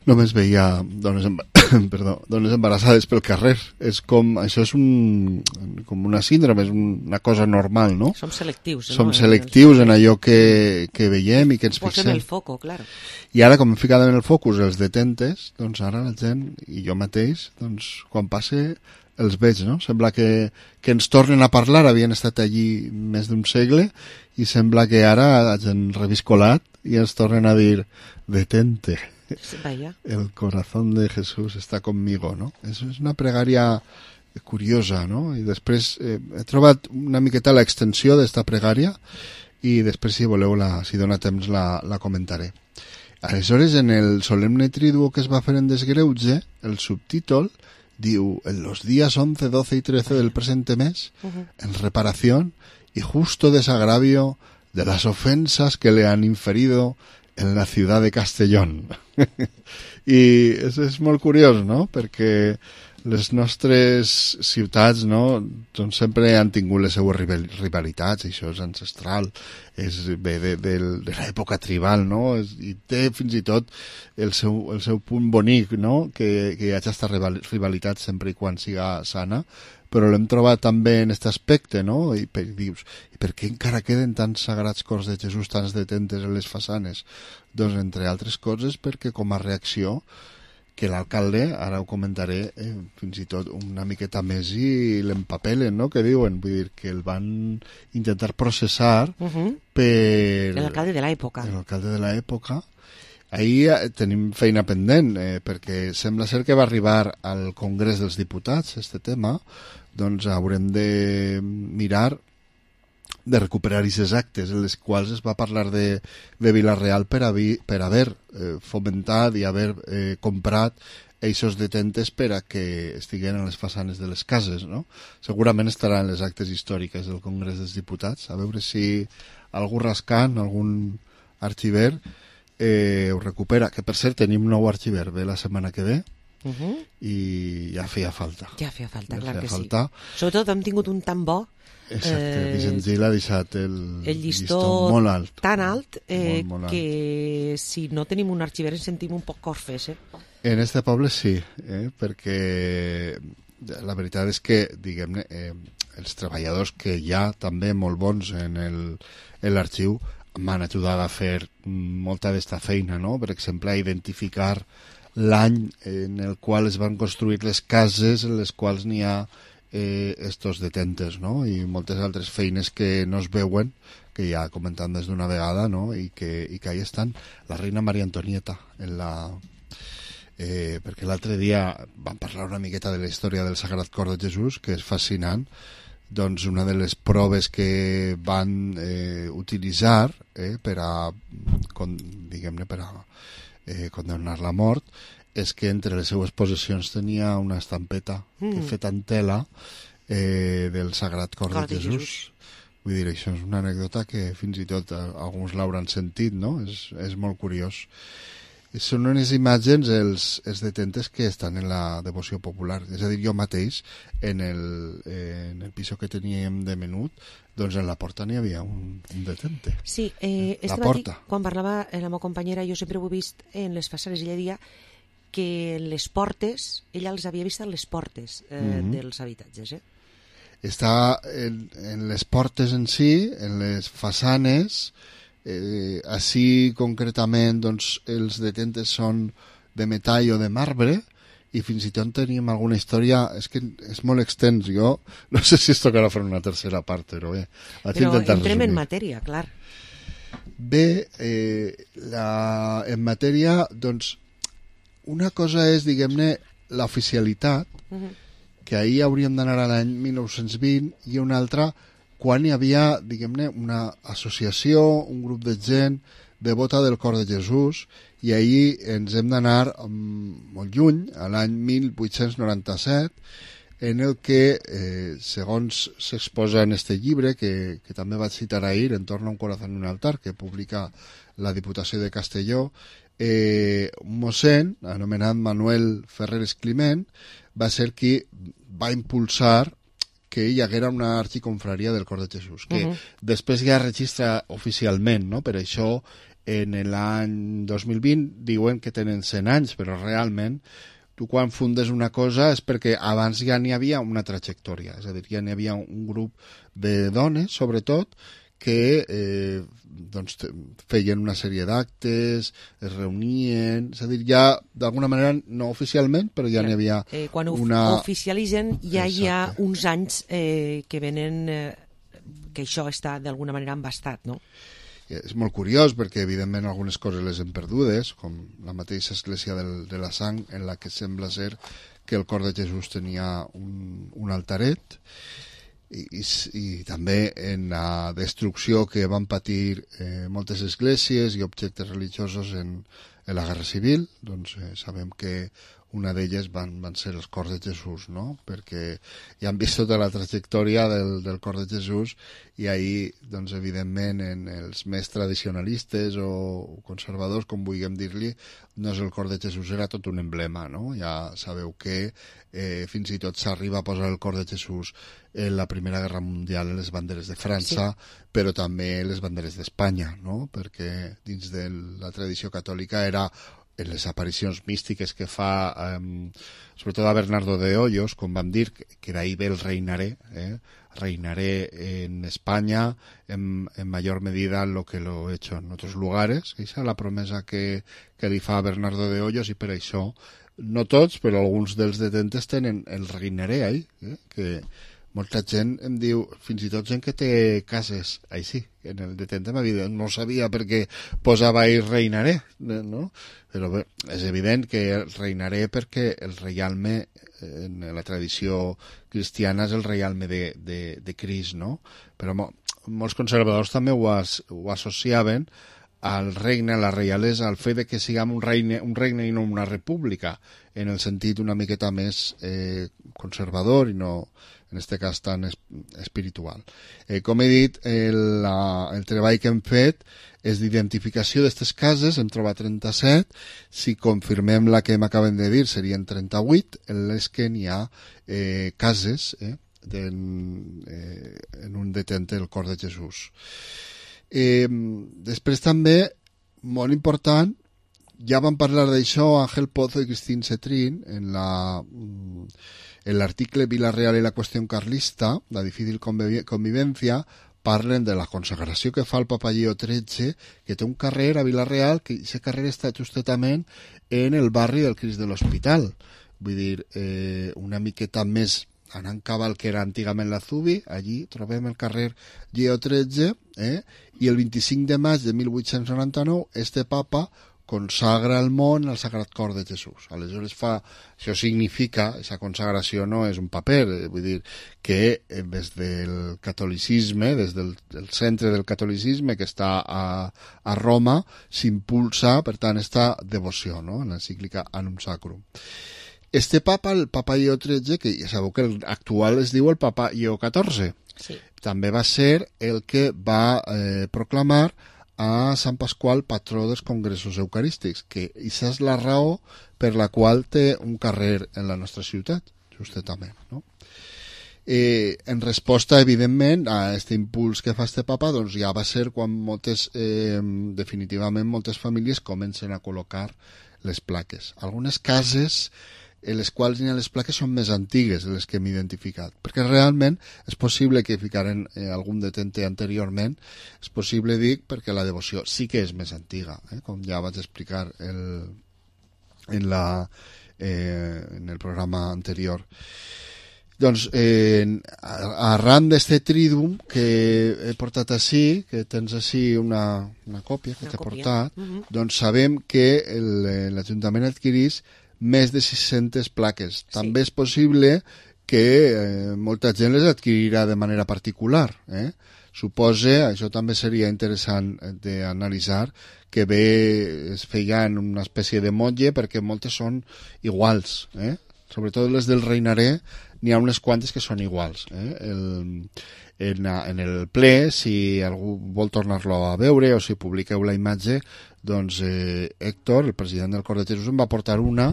només veia dones, embar... Perdó, dones embarassades pel carrer. És com, això és un, com una síndrome, és una cosa normal, no? Som selectius. Som no? selectius en allò que, que veiem i que ens fixem. Posem el foco, claro. I ara, com hem ficat en el focus els detentes, doncs ara la gent, i jo mateix, doncs quan passe els veig, no? Sembla que, que ens tornen a parlar, havien estat allí més d'un segle, i sembla que ara hagin reviscolat i ens tornen a dir detente. Vaya. El corazón de Jesús está conmigo, no? Eso és una pregària curiosa, no? I després eh, he trobat una miqueta l'extensió d'esta pregària i després, si voleu, la, si dona temps, la, la comentaré. Aleshores, en el solemne triduo que es va fer en desgreuge, el subtítol diu, en los días once, doce y trece del presente mes, uh-huh. en reparación y justo desagravio de las ofensas que le han inferido en la ciudad de Castellón. I és, és molt curiós, no? Perquè les nostres ciutats, no, doncs sempre han tingut les seues rivalitats, això és ancestral, és ve de, de, de l'època tribal, no? És, i té fins i tot el seu, el seu punt bonic, no? Que, que hi hagi aquesta rivalitat sempre i quan siga sana, però l'hem trobat també en aquest aspecte, no? I per, dius, i per què encara queden tants sagrats cors de Jesús, tants detentes en les façanes? Doncs, entre altres coses, perquè com a reacció que l'alcalde, ara ho comentaré, eh, fins i tot una miqueta més i l'empapelen, no?, que diuen, vull dir, que el van intentar processar uh-huh. per... L'alcalde de l'època. L'alcalde de l'època. Ahir eh, tenim feina pendent, eh, perquè sembla ser que va arribar al Congrés dels Diputats, este tema, doncs haurem de mirar de recuperar aquests actes en les quals es va parlar de, de Vila-real per, haver, per haver eh, fomentat i haver eh, comprat eixos detentes per a que estiguen a les façanes de les cases, no? Segurament estaran les actes històriques del Congrés dels Diputats, a veure si algú rascant, algun arxiver eh, ho recupera, que per cert tenim nou arxiver, ve la setmana que ve, uh-huh. i ja feia falta. Ja feia falta, ja clar feia que falta. Sí. Sobretot hem tingut un tan bo. Exacte, eh, Vicent Gil ha deixat el, el llistó, llistó molt alt. Tan alt, eh, molt, molt alt que si no tenim un arxiver ens sentim un poc corfes. Eh? En este poble sí, eh, perquè la veritat és que, diguem-ne, eh, els treballadors que hi ha també molt bons en l'arxiu m'han ajudat a fer molta d'esta feina, no? Per exemple, a identificar l'any en el qual es van construir les cases en les quals n'hi ha eh, estos detentes, no? I moltes altres feines que no es veuen, que ja comentant des d'una vegada, no? I que, i que ahí estan. La reina Maria Antonieta, en la... Eh, perquè l'altre dia vam parlar una miqueta de la història del Sagrat Cor de Jesús, que és fascinant. Doncs una de les proves que van eh, utilitzar eh, per a, con, diguem-ne, per a eh, condemnar la mort és que entre les seues possessions tenia una estampeta mm. feta en tela eh, del Sagrat Cor, Cor de, de Jesús. Jesús. Vull dir, això és una anècdota que fins i tot alguns l'hauran sentit, no? És, és molt curiós. Són unes imatges, els, els detentes que estan en la devoció popular. És a dir, jo mateix, en el, en el piso que teníem de menut, doncs en la porta n'hi havia un, un detente. Sí, eh, la porta. Matí, quan parlava la meva companyera, jo sempre ho he vist en les façanes, ella deia que les portes, ella els havia vist en les portes eh, mm-hmm. dels habitatges. Eh? Està en, en les portes en si, en les façanes. Eh, així concretament doncs, els detentes són de metall o de marbre i fins i tot tenim alguna història, és que és molt extens, jo no sé si es tocarà fer una tercera part, però bé, però entrem resumir. En matèria, clar. Bé, eh, la, en matèria doncs una cosa és, diguem-ne, l'oficialitat, uh-huh. que ahir hauríem d'anar a l'any mil nou-cents vint, i una altra quan hi havia, diguem-ne, una associació, un grup de gent devota del Cor de Jesús, i ahir ens hem d'anar um, molt lluny, a l'any mil vuit-cents noranta-set, en el que, eh, segons s'exposa en este llibre, que, que també vaig citar ahir, En torno a un corazón en un altar, que publica la Diputació de Castelló, eh, un mossèn, anomenat Manuel Ferreres Climent, va ser qui va impulsar que hi haguera una arxiconfraria del Cor de Jesús, que uh-huh. després ja registra oficialment, no? Per això en l'any dos mil vint diuen que tenen cent anys, però realment tu quan fundes una cosa és perquè abans ja n'hi havia una trajectòria, és a dir, ja n'hi havia un grup de dones, sobretot, que eh, doncs, feien una sèrie d'actes, es reunien, és a dir, ja d'alguna manera, no oficialment, però ja n'hi havia eh, quan una... Quan oficialitzen ja Exacte. Hi ha uns anys eh, que venen, eh, que això està d'alguna manera embastat, no? És molt curiós perquè, evidentment, algunes coses les hem perdudes, com la mateixa església del, de la Sang, en la que sembla ser que el Cor de Jesús tenia un, un altaret, I, i, i també en la destrucció que van patir eh, moltes esglésies i objectes religiosos en, en la Guerra Civil, doncs eh, sabem que una d'elles van, van ser els Cors de Jesús, no? Perquè ja han vist tota la trajectòria del, del Cor de Jesús i ahir, doncs, evidentment, en els més tradicionalistes o conservadors, com vulguem dir-li, no és el Cor de Jesús, era tot un emblema, no? Ja sabeu que eh, fins i tot s'arriba a posar el Cor de Jesús en la Primera Guerra Mundial en les banderes de França, sí. però també les banderes d'Espanya, no? Perquè dins de la tradició catòlica era en les aparicions místiques que fa, eh, sobretot a Bernardo de Hoyos, com vam dir, que d'ahí ve el reinaré, eh? reinaré en España en, en mayor medida lo que lo he hecho en otros lugares. Esa és la promesa que, que li fa Bernardo de Hoyos, i per això no tots, però alguns dels detentes tenen el reinaré ahí, eh? Que molta gent em diu, fins i tot gent que té cases així, en el detente m'ha dit, no sabia perquè posava ahí reinaré, no? Però bé, és evident que reinaré perquè el reialme, en la tradició cristiana, és el reialme de, de, de Crist, no? Però mo, molts conservadors també ho, as, ho associaven al regne, a la reialesa, al fet de que siguem un regne, un regne i no una república, en el sentit una miqueta més eh, conservador i no, en aquest cas, tan es, espiritual. Eh, com he dit, el, la, el treball que hem fet és d'identificació d'aquestes cases, hem trobat trenta-set, si confirmem la que m'acaben de dir serien trenta-vuit, en les que n'hi ha eh, cases eh, en, eh, en un detente del Cor de Jesús. Eh, després també, molt important, ja vam parlar d'això Ángel Pozo i Cristín Cetrín en la... En l'article Vila-real i la qüestió carlista, la difícil convivència, parlen de la consagració que fa el Papa Lleó tretze, que té un carrer a Vila-real, que aquest carrer està justament en el barri del Crist de l'Hospital. Vull dir, eh, una miqueta més anant cap al que era antigament la Zubi, allí trobem el carrer Lleó tretze, eh? I el vint-i-cinc de maig de mil vuit-cents noranta-nou, este papa consagra el món al Sagrat Cor de Jesús. Aleshores fa, això significa, aquesta consagració no és un paper, eh, vull dir que eh, des del catolicisme, des del, del centre del catolicisme que està a, a Roma, s'impulsa, per tant, esta devoció, no?, en l'encíclica Annum Sacrum. Este papa, el papa Lleó tretze, que ja sabeu que l'actual es diu el papa Lleó catorze, sí. També va ser el que va eh, proclamar a Sant Pasqual, patró dels congressos eucarístics, que aquesta és la raó per la qual té un carrer en la nostra ciutat, justament, no? Eh, en resposta, evidentment, a aquest impuls que fa este papa, doncs ja va ser quan moltes, eh, definitivament, moltes famílies comencen a col·locar les plaques. Algunes cases en les quals hi ha les plaques són més antigues de les que hem identificat, perquè realment és possible que ficaren eh, algun detente anteriorment, és possible, dic, perquè la devoció sí que és més antiga, eh, com ja vaig explicar el, en, la, eh, en el programa anterior. Doncs, eh, arran d'este trídum que he portat així, que tens així una, una còpia que t'he portat, uh-huh. Doncs sabem que l'Ajuntament adquirís més de sis-centes plaques. Sí. També és possible que eh, molta gent les adquirirà de manera particular. Eh? Suposa, això també seria interessant d'analitzar, que bé es feia en una espècie de motlle perquè moltes són iguals. Eh? Sobretot les del reinaré, n'hi ha unes quantes que són iguals. Eh? El, en, en el ple, si algú vol tornar-lo a veure o si publiqueu la imatge, doncs eh, Héctor, el president del Cor de Jesús, em va portar una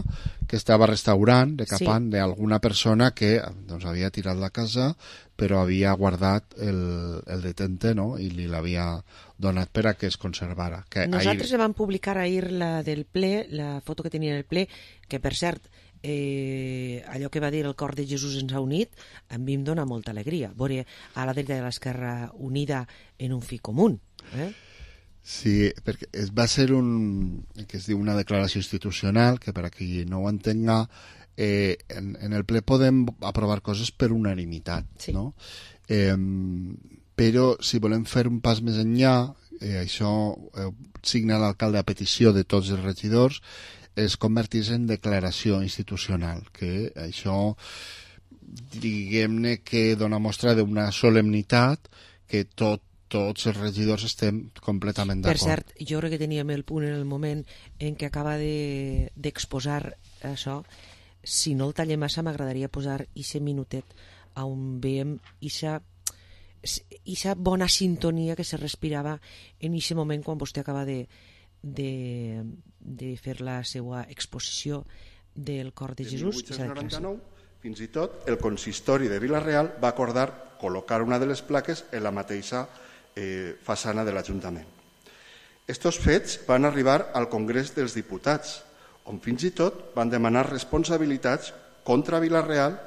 que estava restaurant, decapant, sí. D'alguna persona que doncs, havia tirat la casa però havia guardat el, el detente, no?, i li l'havia donat per a que es conservara. Que Nosaltres ahir... vam publicar ahir la del ple, la foto que tenia en el ple, que per cert, eh, allò que va dir el Cor de Jesús ens ha unit, a mi em dona molta alegria veure a la dreta de l'Esquerra unida en un fi comú. Eh? Sí, perquè es va ser un, que es diu una declaració institucional, que per a qui no ho entenga, eh, en, en el ple podem aprovar coses per unanimitat, sí. No? Eh, però si volem fer un pas més enllà, eh, això eh, signa l'alcalde a petició de tots els regidors, es convertís en declaració institucional, que això, diguem-ne que dona mostra d'una solemnitat que tot tots els regidors estem completament d'acord. Per cert, jo crec que teníem el punt en el moment en què acaba d'exposar de, això. Si no el tallem massa, m'agradaria posar ixe minutet on veiem ixa, ixa bona sintonia que se respirava en ixe moment quan vostè acaba de, de, de fer la seva exposició del Cor de Jesús. De mil vuit-cents noranta-nou, fins i tot, el consistori de Vila-real va acordar col·locar una de les plaques en la mateixa Eh, façana de l'Ajuntament. Estos fets van arribar al Congrés dels Diputats, on fins i tot van demanar responsabilitats contra Vila-real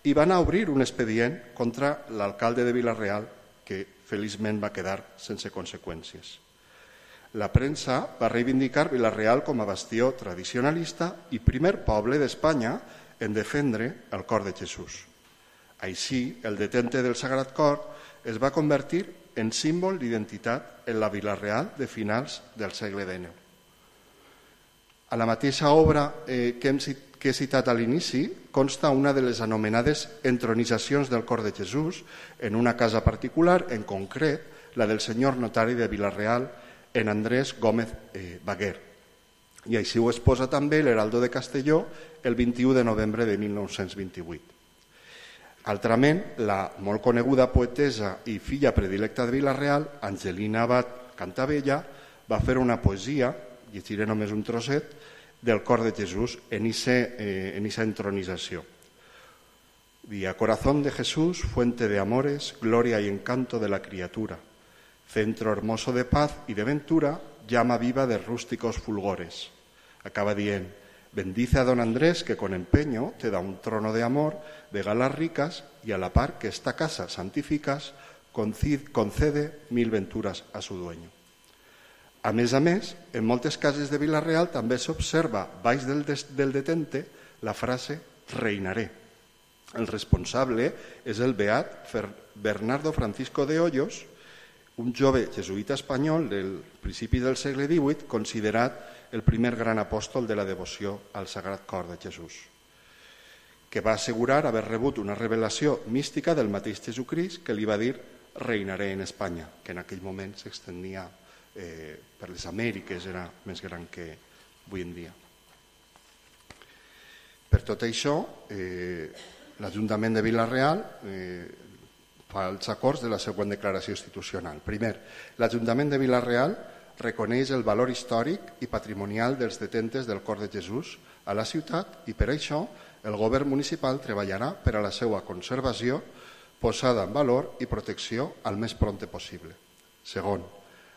i van obrir un expedient contra l'alcalde de Vila-real, que feliçment va quedar sense conseqüències. La premsa va reivindicar Vila-real com a bastió tradicionalista i primer poble d'Espanya en defendre el cor de Jesús. Així, el detente del Sagrat Cor es va convertir en símbol d'identitat en la Vila-real de finals del segle dinou. A la mateixa obra eh, que, hem, que he citat a l'inici consta una de les anomenades entronitzacions del cor de Jesús en una casa particular, en concret la del senyor notari de Vila-real, en Andrés Gómez eh, Baguer. I així ho exposa també l'Heraldo de Castelló el vint-i-u de novembre de mil nou-cents vint-i-vuit. Altrament, la molt coneguda poetesa i filla predilecta de Vila-real, Angelina Abad Cantabella, va fer una poesia, llegiré només un trosset, del cor de Jesús en esa entronització. Día corazón de Jesús, fuente de amores, gloria y encanto de la criatura, centro hermoso de paz y de ventura, llama viva de rústicos fulgores. Acaba dient, bendice a don Andrés que con empeño te da un trono de amor, de galas ricas y a la par que esta casa santificas, concede mil venturas a su dueño. A més a més, en moltes cases de Vila-real també s'observa baix del, del detente la frase reinaré. El responsable és el beat Bernardo Francisco de Hoyos, un jove jesuïta espanyol del principi del segle divuit, considerat el primer gran apòstol de la devoció al Sagrat Cor de Jesús, que va assegurar haver rebut una revelació mística del mateix Jesucrist que li va dir reinaré en Espanya, que en aquell moment s'extendia eh, per les Amèriques, era més gran que avui en dia. Per tot això, eh, l'Ajuntament de Vila-real eh, fa els acords de la següent declaració institucional. Primer, l'Ajuntament de Vila-real reconeix el valor històric i patrimonial dels detentes del Cor de Jesús a la ciutat i per això el govern municipal treballarà per a la seva conservació, posada en valor i protecció al més prompte possible. Segon,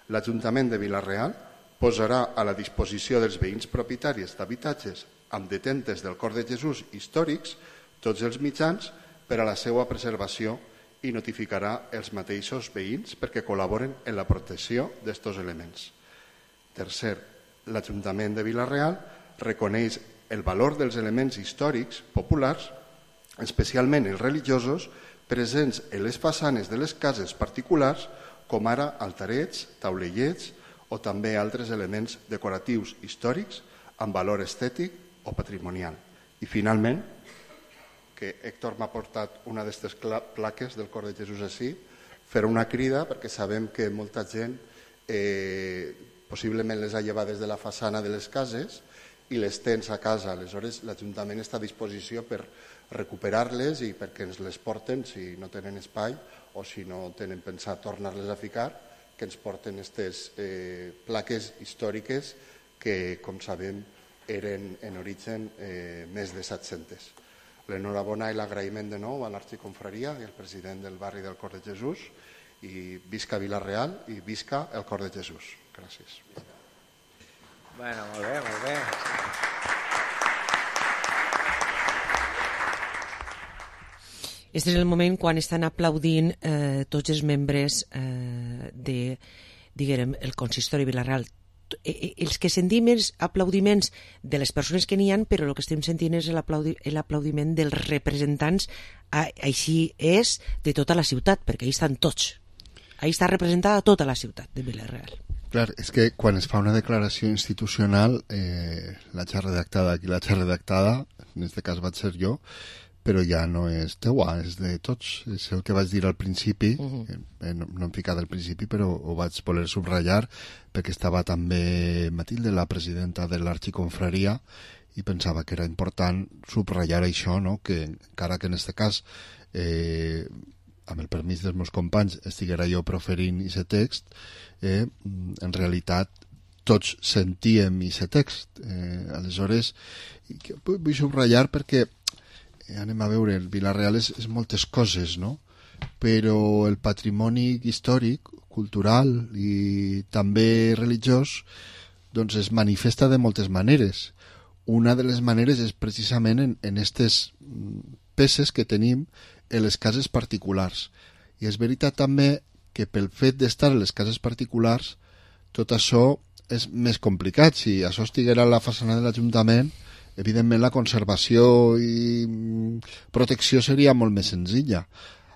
l'Ajuntament de Vila-real posarà a la disposició dels veïns propietaris d'habitatges amb detentes del Cor de Jesús històrics tots els mitjans per a la seva preservació i notificarà els mateixos veïns perquè col·laboren en la protecció d'aquests elements. Tercer, l'Ajuntament de Vila-real reconeix el valor dels elements històrics populars, especialment els religiosos, presents en les façanes de les cases particulars, com ara altarets, taulellets o també altres elements decoratius històrics amb valor estètic o patrimonial. I finalment, que Héctor m'ha portat una d'aquestes plaques del Cor de Jesús així, fer una crida perquè sabem que molta gent eh, possiblement les ha llevat des de la façana de les cases i les tens a casa. Aleshores, l'Ajuntament està a disposició per recuperar-les i perquè ens les porten si no tenen espai o si no tenen pensat tornar-les a ficar, que ens porten aquestes eh, plaques històriques que, com sabem, eren en origen eh, més de set-centes. L'enhorabona i l'agraïment de nou a l'Arxiconfraria i al president del barri del Cor de Jesús i visca Vila-real i visca el Cor de Jesús. Gràcies. Bueno, molt bé, molt bé. Este és el moment quan estan aplaudint eh, tots els membres eh, de, diguem, el consistori Vila-real. Els que sentim els aplaudiments de les persones que n'hi ha, però el que estem sentint és l'aplaudiment dels representants, així és, de tota la ciutat, perquè ahí estan tots. Ahí està representada tota la ciutat de Vila-real. Clar, és que quan es fa una declaració institucional, eh, la xarra redactada, aquí la xarra redactada, en aquest cas vaig ser jo, però ja no és teua, és de tots. És el que vaig dir al principi, uh-huh. eh, no, no em ficat al principi, però ho vaig voler subratllar, perquè estava també Matilde, la presidenta de l'Arxiconfraria, i pensava que era important subratllar això, no? Que encara que en aquest cas, eh, amb el permís dels meus companys, estiguera jo proferint aquest text, eh, en realitat tots sentíem aquest text. Eh, aleshores, vull subratllar perquè anem a veure, el Vila-real és, és moltes coses, no? Però el patrimoni històric, cultural i també religiós doncs es manifesta de moltes maneres. una de les maneres és precisament en, en aquestes peces que tenim en les cases particulars. I és veritat també que pel fet d'estar en les cases particulars tot això és més complicat. Si això estiguera a la façana de l'Ajuntament, evidentment la conservació i protecció seria molt més senzilla.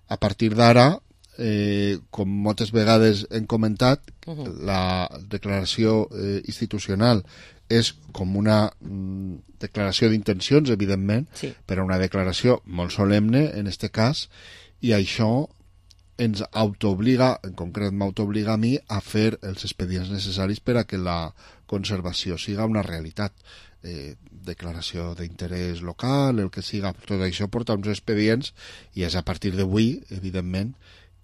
A partir d'ara, eh, com moltes vegades hem comentat, uh-huh. la declaració eh, institucional és com una mm, declaració d'intencions, evidentment, sí. però una declaració molt solemne, en aquest cas, i això ens autoobliga, en concret m'autobliga a mi, a fer els expedients necessaris per a que la conservació siga una realitat. Eh, declaració d'interès local, el que siga, tot això porta uns expedients i és a partir d'avui, evidentment,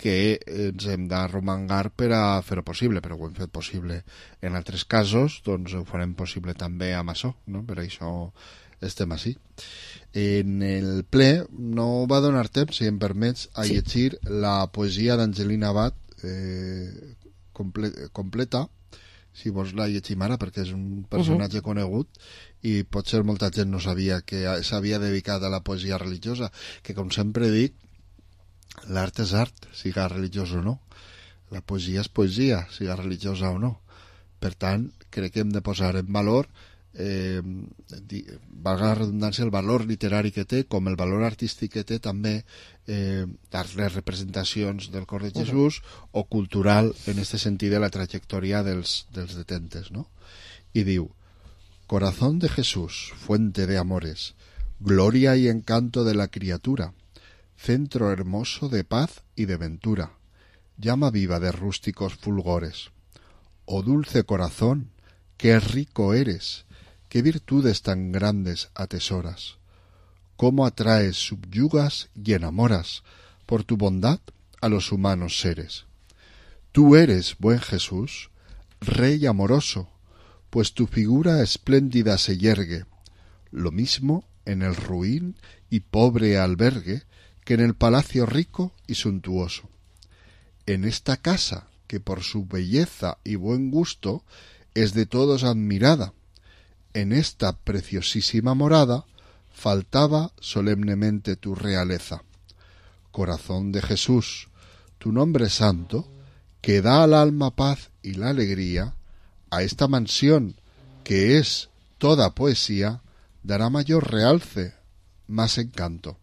que ens hem d'arromangar per a fer-ho possible, però ho hem fet possible en altres casos, doncs ho farem possible també amb això, no? Per això estem així. En el ple no va donar temps, si em permets, a sí. llegir la poesia d'Angelina Abad eh, comple completa, si vols la llegim ara, perquè és un personatge uh-huh. conegut i potser molta gent no sabia que s'havia dedicat a la poesia religiosa, que com sempre dic, l'art és art, siga religiós o no. La poesia és poesia, siga religiosa o no. Per tant, crec que hem de posar en valor, eh, valga la redundància, el valor literari que té, com el valor artístic que té també eh, les representacions del cor de Jesús, uh-huh. o cultural, en este sentit de la trajectòria dels, dels detentes, no? I diu: Corazón de Jesús, fuente de amores, gloria y encanto de la criatura, centro hermoso de paz y de ventura, llama viva de rústicos fulgores. Oh dulce corazón, qué rico eres, qué virtudes tan grandes atesoras, cómo atraes, subyugas y enamoras por tu bondad a los humanos seres. Tú eres, buen Jesús, Rey amoroso, pues tu figura espléndida se yergue, lo mismo en el ruin y pobre albergue que en el palacio rico y suntuoso. En esta casa, que por su belleza y buen gusto es de todos admirada, en esta preciosísima morada faltaba solemnemente tu realeza. Corazón de Jesús, tu nombre santo, que da al alma paz y la alegría, a esta mansión, que es toda poesía, dará mayor realce, más encanto.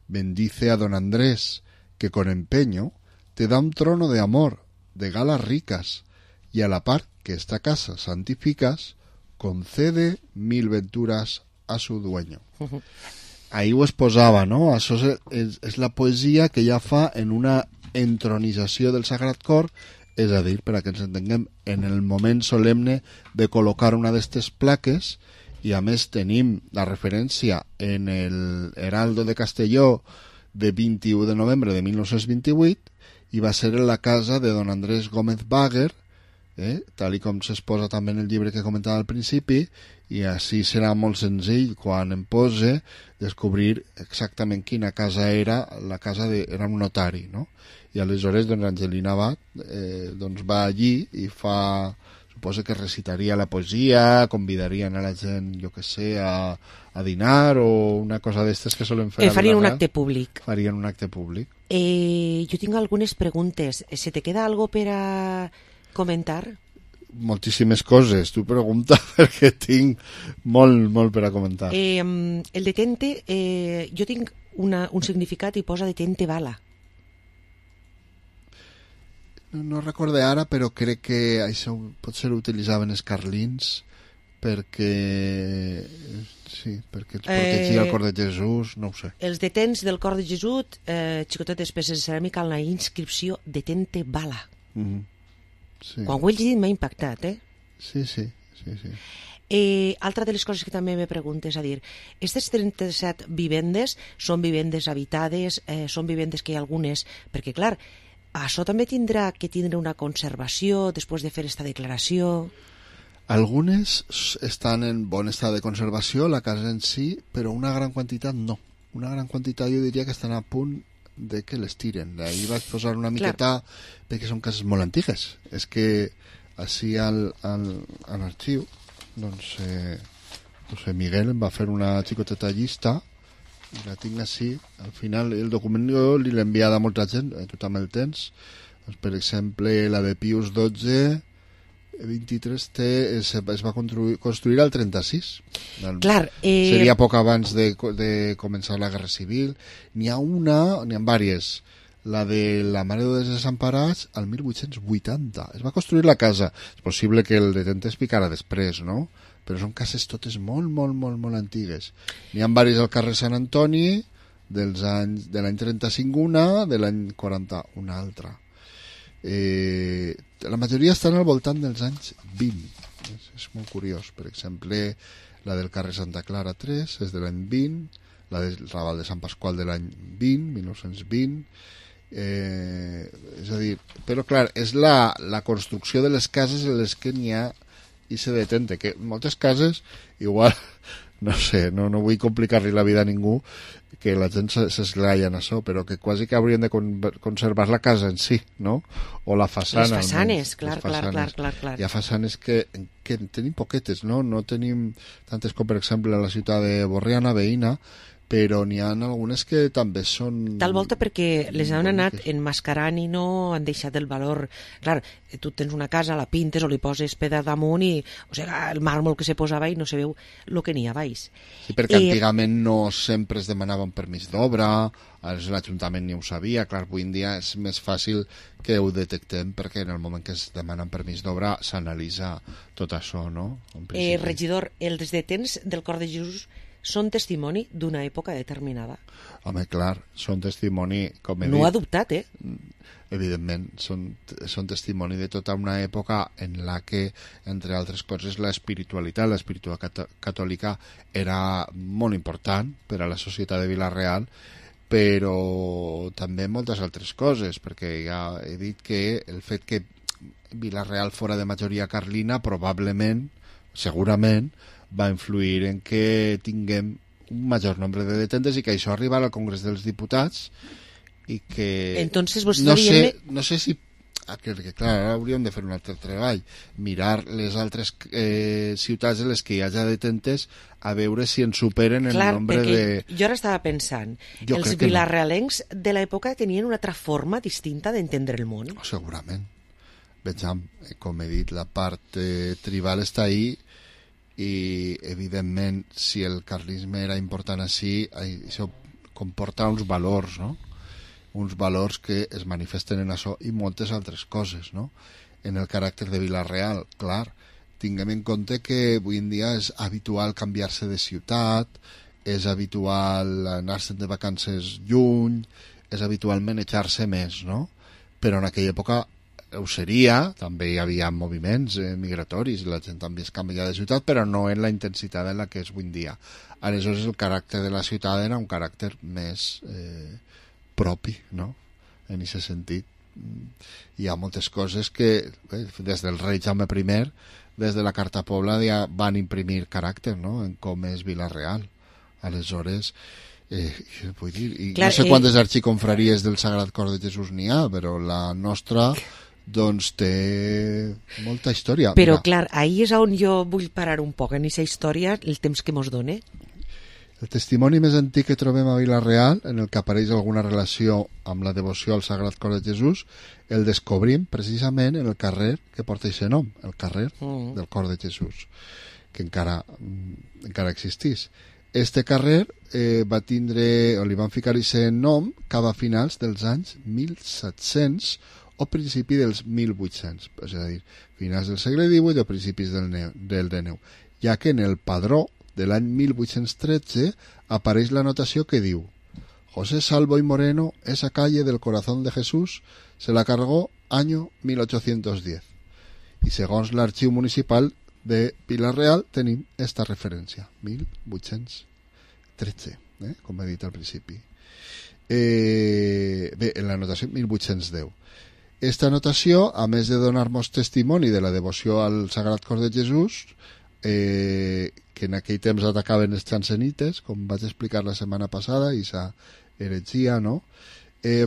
Bendice a don Andrés, que con empeño te da un trono de amor, de galas ricas, y a la par que esta casa santificas, concede mil venturas a su dueño. Uh-huh. Ahí ho es posava, no? Això és, és, és la poesia que ja fa en una entronització del Sagrat Cor, és a dir, per a que ens entenguem, en el moment solemne de col·locar una d'aquestes plaques. I a més tenim la referència en el Heraldo de Castelló de vint-i-u de novembre de mil nou-cents vint-i-vuit i va ser en la casa de don Andrés Gómez Báguer, eh, tal i com s'exposa també en el llibre que comentava al principi, i així serà molt senzill quan em pose descobrir exactament quina casa era, la casa de, era un notari, no? I aleshores doncs Angelina Abad eh, doncs va allí i fa... Suposo que recitaria la poesia, convidarien a la gent, jo que sé, a, a dinar o una cosa d'estes que solen fer. Eh, farien un acte públic. Farien un acte públic. Eh, jo tinc algunes preguntes. Se te queda algo per a comentar? Moltíssimes coses. Tu pregunta perquè tinc molt, molt per a comentar. Eh, el detente, eh, jo tinc una, un significat i posa detente bala. No, no recorde ara, però crec que això potser ho utilitzaven els carlins perquè sí, perquè els protegia eh, el cor de Jesús, no ho sé. Els detents del cor de Jesús, eh, xicotetes peces de ceràmica en la inscripció detente bala. Mm-hmm. Sí. Quan ho he llegit m'ha impactat, eh? Sí, sí, sí, sí. Eh, altra de les coses que també me preguntes, a dir, aquestes trenta-set vivendes són vivendes habitades, eh, són vivendes que hi ha algunes, perquè clar, això també tindrà que tindre una conservació després de fer esta declaració? Algunes estan en bon estat de conservació, la casa en sí, però una gran quantitat no. Una gran quantitat jo diria que estan a punt de que les tiren. Ahir vaig posar una miqueta, clar, perquè són cases molt antigues. És que així al, al, a l'arxiu doncs, eh, José Miguel em va fer una xicoteta llista, i la tinc així. Al final, el document jo li l'he enviat a molta gent, tu també el tens. Doncs, per exemple, la de Pius dotze, vint-i-tres, té, es, es va construir, construir al trenta-sis. Clar, eh... Seria poc abans de, de començar la Guerra Civil. N'hi ha una, n'hi ha diverses. La de la Mare dels Desemparats al mil vuit-cents vuitanta. Es va construir la casa. És possible que el detente es picara després, no? Però són cases totes molt, molt, molt, molt antigues. N'hi ha diverses al carrer Sant Antoni, dels anys, de l'any trenta-cinc una, de l'any quaranta una altra. Eh, la majoria estan al voltant dels anys vint. És, és molt curiós. Per exemple, la del carrer Santa Clara tres és de l'any vint, la del Raval de Sant Pasqual de l'any vint, mil nou-cents vint. Eh, és a dir, però clar, és la, la construcció de les cases en les que n'hi ha i se detente, que moltes cases igual, no sé, no, no vull complicar-li la vida a ningú, que la gent s'esglaia en això, però que quasi que haurien de con conservar la casa en si, no? O la façana. Les façanes, clar, les façanes. clar, clar, clar. Hi ha façanes que, que tenim poquetes, no? No tenim tantes com, per exemple, a la ciutat de Borriana, veïna, però n'hi ha algunes que també són... Tal volta perquè les han anat enmascarant i no han deixat el valor. Clar, tu tens una casa, la pintes o li poses pedra damunt i, o sigui, el màrmol que se posava i no se veu el que n'hi ha baix. Sí, perquè I... antigament no sempre es demanava un permís d'obra, l'Ajuntament ni ho sabia. Clar, avui en dia és més fàcil que ho detectem perquè en el moment que es demana un permís d'obra s'analitza tot això, no? Eh, regidor, els detents del Cor de Jesús són testimoni d'una època determinada. Home, clar, són testimoni, com he no dit... No ha dubtat, eh? Evidentment, són, són testimoni de tota una època en la que, entre altres coses, l'espiritualitat, l'espiritualitat catòlica era molt important per a la societat de Vila-real, però també moltes altres coses, perquè ja he dit que el fet que Vila-real fora de majoria carlina probablement, segurament, va influir en que tinguem un major nombre de detentes i que això arribarà al Congrés dels Diputats i que... Entonces, vos no, sé, dient... no sé si... Que, que, clar, ara hauríem de fer un altre treball, mirar les altres eh, ciutats en les que hi hagi detentes a veure si en superen el clar, nombre de... Jo ara estava pensant, jo els vilarrealencs no. de l'època tenien una altra forma distinta d'entendre el món. Oh, segurament. Vejam, com he dit, la part eh, tribal està ahí i evidentment si el carlisme era important així, això comporta uns valors, no? Uns valors que es manifesten en això i moltes altres coses, no? En el caràcter de Vila-real, clar, tinguem en compte que avui en dia és habitual canviar-se de ciutat, és habitual anar-se'n de vacances lluny, és habitual manejar-se més, no? Però en aquella època ho seria, també hi havia moviments eh, migratoris, la gent també es canvia de ciutat, però no en la intensitat en la que és avui en dia. Aleshores el caràcter de la ciutat era un caràcter més eh, propi, no? En aquest sentit. Hi ha moltes coses que eh, des del rei Jaume primer, des de la Carta Pobla ja van imprimir caràcter, no? En com és Vila-real. Aleshores... Eh, vull dir, i Clar, no sé quantes eh... arxiconfraries del Sagrat Cor de Jesús n'hi ha, però la nostra doncs té molta història. Però Mira, clar, ahí és on jo vull parar un poc en aquesta història, el temps que mos done. El testimoni més antic que trobem a Vila-real, en el que apareix alguna relació amb la devoció al Sagrat Cor de Jesús, el descobrim precisament en el carrer que porta aquest nom, el carrer mm. del Cor de Jesús, que encara, encara existís. Este carrer eh, va tindre, o li van ficar aquest nom cap a finals dels anys mil set-cents o principi dels mil vuit-cents, és a dir, finals del segle divuit o principis del, neu, del dènou, ja que en el padró de l'any mil vuit-cents tretze apareix la notació que diu: José Salvo y Moreno, esa calle del corazón de Jesús se la cargó año mil ochocientos diez. I segons l'arxiu municipal de Vila-real tenim esta referència, mil vuit-cents tretze, eh? Com he dit al principi. Eh, bé, en la notació mil vuit-cents deu. Esta notació, a més de donar-nos testimoni de la devoció al Sagrat Cor de Jesús, eh, que en aquell temps atacaven els xansenites, com vaig explicar la setmana passada, i sa heretgia, no? Eh,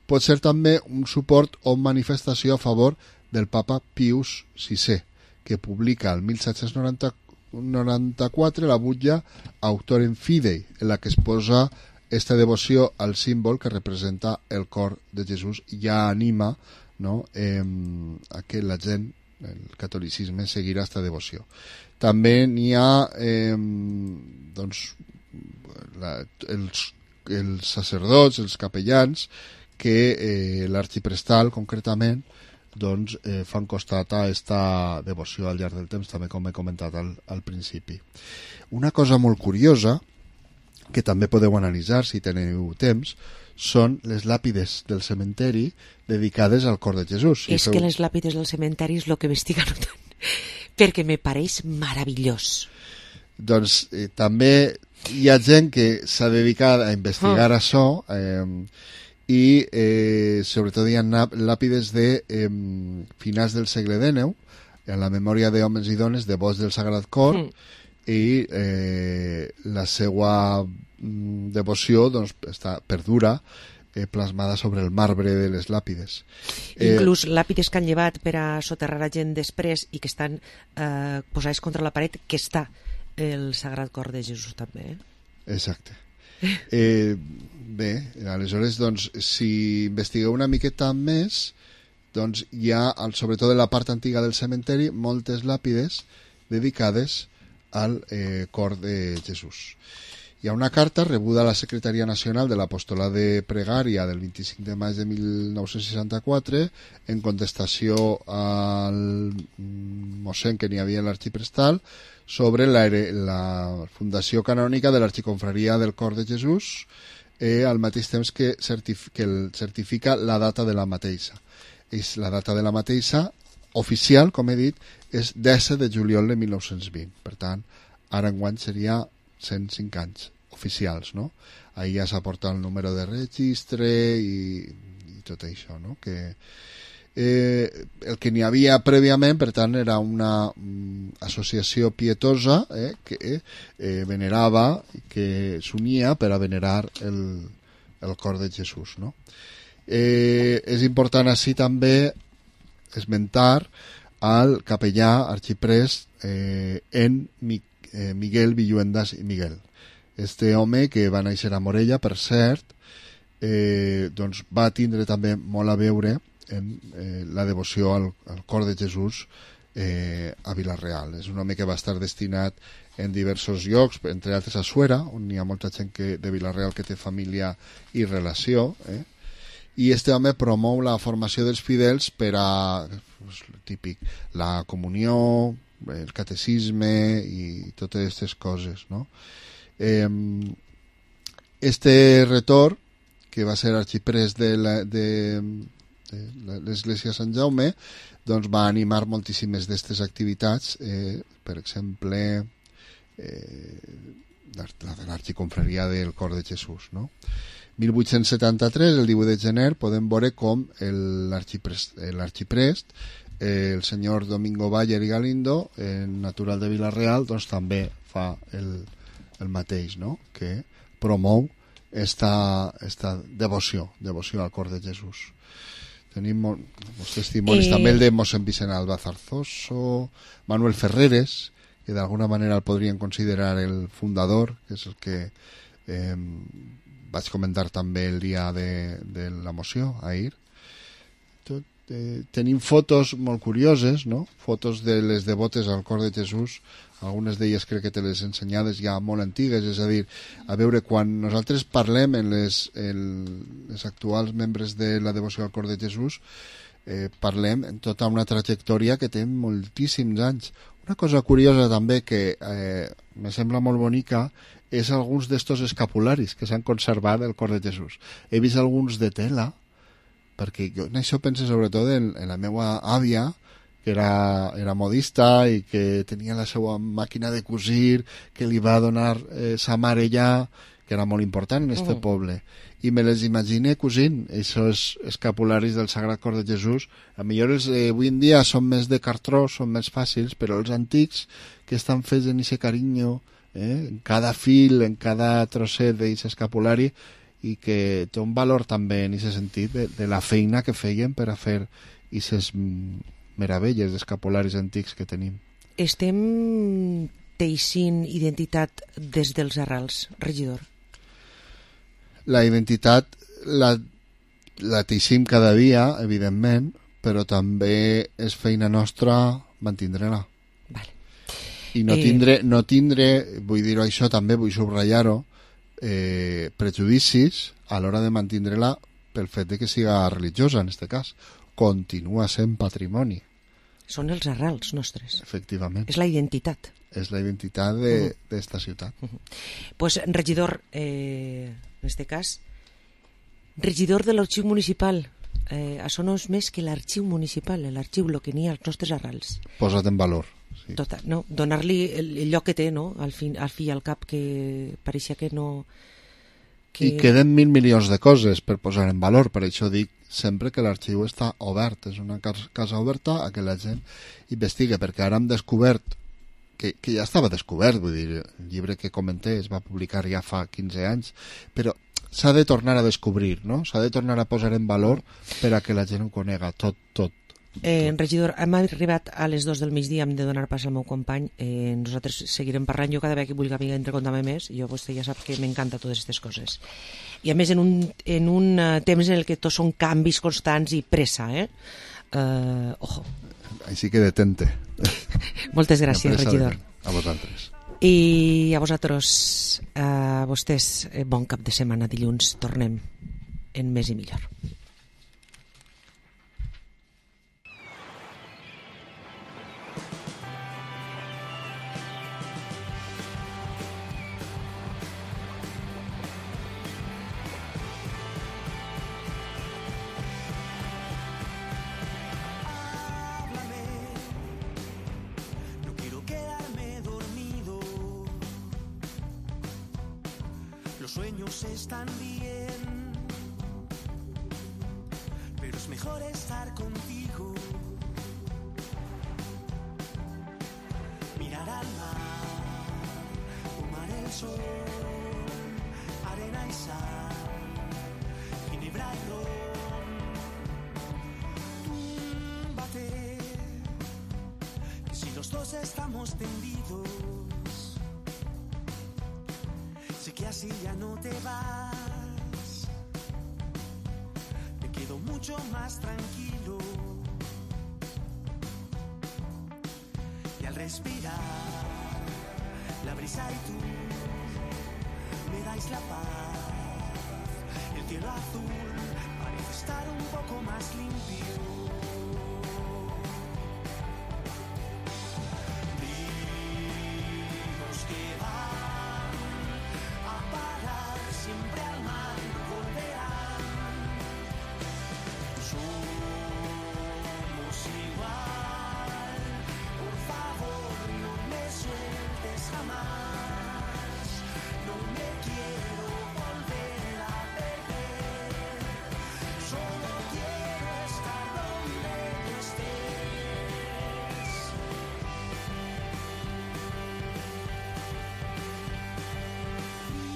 pot ser també un suport o manifestació a favor del papa Pius sisè, que publica el mil set-cents noranta-quatre la butlla Autorem Fidei, en la que es posa esta devoció al símbol que representa el cor de Jesús i ja anima, no, eh, a que la gent, el catolicisme, seguirà esta devoció. També n'hi ha eh, doncs, la, els, els sacerdots, els capellans, que eh, l'arxiprestal, concretament, doncs, eh, fan costat a esta devoció al llarg del temps, també com he comentat al, al principi. Una cosa molt curiosa, que també podeu analitzar si teniu temps, són les làpides del cementeri dedicades al cor de Jesús. Si és feu... que les làpides del cementeri és el que m'estic anotant, perquè me pareix meravellós. Doncs eh, també hi ha gent que s'ha dedicat a investigar oh. això, eh, i eh, sobretot hi ha làpides de eh, finals del segle dinou, en la memòria d'homes i dones devots del Sagrat Cor, mm. i eh, la seva mm, devoció doncs, està, perdura eh, plasmada sobre el marbre de les làpides. Inclús eh, làpides que han llevat per a soterrar a gent després i que estan eh, posades contra la paret, que està el Sagrat Cor de Jesús també. Eh? Exacte. Eh, bé, aleshores, doncs, si investigueu una miqueta més, doncs hi ha, sobretot en la part antiga del cementeri, moltes làpides dedicades al eh, cor de Jesús. Hi ha una carta rebuda a la Secretaria Nacional de l'Apostolat de Pregària del vint-i-cinc de maig de mil nou-cents seixanta-quatre en contestació al mossèn que n'hi havia a l'arxiprestal sobre la, la fundació canònica de l'Arxiconfraria del Cor de Jesús, eh, al mateix temps que, certif que el certifica la data de la mateixa. És la data de la mateixa oficial, com he dit, és disset de juliol de mil nou-cents vint. Per tant, ara enguany seria cent cinc anys oficials, no? Ahir ja s'ha portat el número de registre i, i tot això, no? Que eh, el que n'hi havia prèviament, per tant, era una mm, associació pietosa eh, que eh, venerava, que s'unia per a venerar el, el cor de Jesús, no? Eh, és important així també esmentar al capellà arxiprest eh, en Mi, eh, Miguel Villuendas i Miguel. Este home, que va néixer a Morella, per cert, eh, doncs va tindre també molt a veure en eh, la devoció al, al cor de Jesús eh, a Vila-real. És un home que va estar destinat en diversos llocs, entre altres a Suera, on hi ha molta gent que, de Vila-real que té família i relació, eh? I este home promou la formació dels fidels per a, pues, típic, la comunió, el catecisme i totes aquestes coses, no? Eh, este retor, que va ser arxiprest de, la, de, de l'església Sant Jaume, doncs va animar moltíssimes d'aquestes activitats, eh, per exemple, eh, la de l'Arxiconfraria del Cor de Jesús, no? mil vuit-cents setanta-tres, el divuit de gener, podem veure com l'arxiprest, eh, el senyor Domingo Bayer i Galindo, eh, natural de Vila-real, doncs també fa el, el mateix, no? Que promou esta, esta devoció, devoció al cor de Jesús. Tenim molts testimonis, eh... també el de mossèn Vicent Alba Zarzoso, Manuel Ferreres, que d'alguna manera el podrien considerar el fundador, que és el que eh, vaig comentar també el dia de, de la moció, ahir. Tot, eh, tenim fotos molt curioses, no? Fotos de les devotes al cor de Jesús, algunes d'elles crec que te les ensenyades ja molt antigues, és a dir, a veure, quan nosaltres parlem en les, en les actuals membres de la devoció al cor de Jesús, eh, parlem en tota una trajectòria que té moltíssims anys. Una cosa curiosa també que eh, me sembla molt bonica és alguns d'estos escapularis que s'han conservat del cor de Jesús. He vist alguns de tela, perquè jo en això penso sobretot en, en la meva àvia, que era, era modista i que tenia la seva màquina de cosir, que li va donar eh, sa mare ja, que era molt important en este uh-huh. poble. I me les imagine cosint, aquests escapularis del Sagrat Cor de Jesús. A millor els eh, avui en dia són més de cartró, són més fàcils, però els antics, que estan fets en aquest carinyo, eh, en cada fil, en cada trosset d'aquest escapulari, i que té un valor també en aquest sentit de, de la feina que feien per a fer aquestes meravelles d'escapularis antics que tenim. Estem teixint identitat des dels arrels, regidor? La identitat la, la teixim cada dia, evidentment, però també és feina nostra mantindre-la. Vale. I no tindre, no tindre, vull dir-ho això també, vull subratllar-ho, eh, prejudicis a l'hora de mantindre-la pel fet de que siga religiosa, en aquest cas. Continua sent patrimoni. Són els arrels nostres. Efectivament. És la identitat. És la identitat d'esta uh -huh. ciutat. Uh -huh. Pues, regidor, eh, en este cas, regidor de l'arxiu municipal, eh, això no és més que l'arxiu municipal, l'arxiu, el que n'hi ha als nostres arrels. Posat en valor. Sí. Total, no? Donar-li el, el lloc que té, no? Al fi, al fi i al cap, que pareixia que no... Que... I queden mil milions de coses per posar en valor, per això dic sempre que l'arxiu està obert, és una casa oberta a que la gent investiga, perquè ara hem descobert que, que ja estava descobert, vull dir, el llibre que comenté es va publicar ja fa quinze anys, però s'ha de tornar a descobrir, no? S'ha de tornar a posar en valor per a que la gent ho conega tot, tot. Eh, regidor, hem arribat a les dos del migdia, hem de donar pas al meu company, eh, nosaltres seguirem parlant, jo cada vegada que vulgui entre contar-me més, jo vostè ja sap que m'encanta totes aquestes coses, i a més en un, en un uh, temps en el que tots són canvis constants i pressa, eh? Uh, ojo. Així que detente. Moltes gràcies, regidor. A vosaltres. I a vosaltres, a vostès, bon cap de setmana. Dilluns tornem en Més i Millor. Están bien, pero es mejor estar contigo. Mirar al mar, tomar el sol, arena y sal, ginebra y ron. Túmbate, que si los dos estamos tendidos, sé que así ya no te vas, me quedo mucho más tranquilo. Y al respirar, la brisa y tú me dais la paz. El cielo azul parece estar un poco más limpio. Ríos que van a parar siempre al mar volverán. Somos igual, por favor no me sueltes jamás. No me quiero volver a perder, solo quiero estar donde tú estés.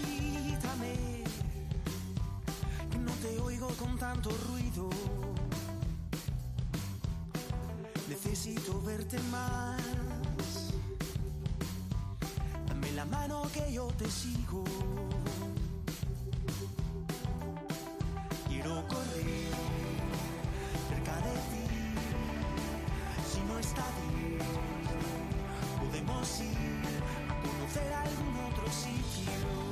Grítame, que no te oigo con tanto ruido. Necesito verte más. Dame la mano que yo te sigo. Quiero correr cerca de ti. Si no está bien, podemos ir a conocer algún otro sitio.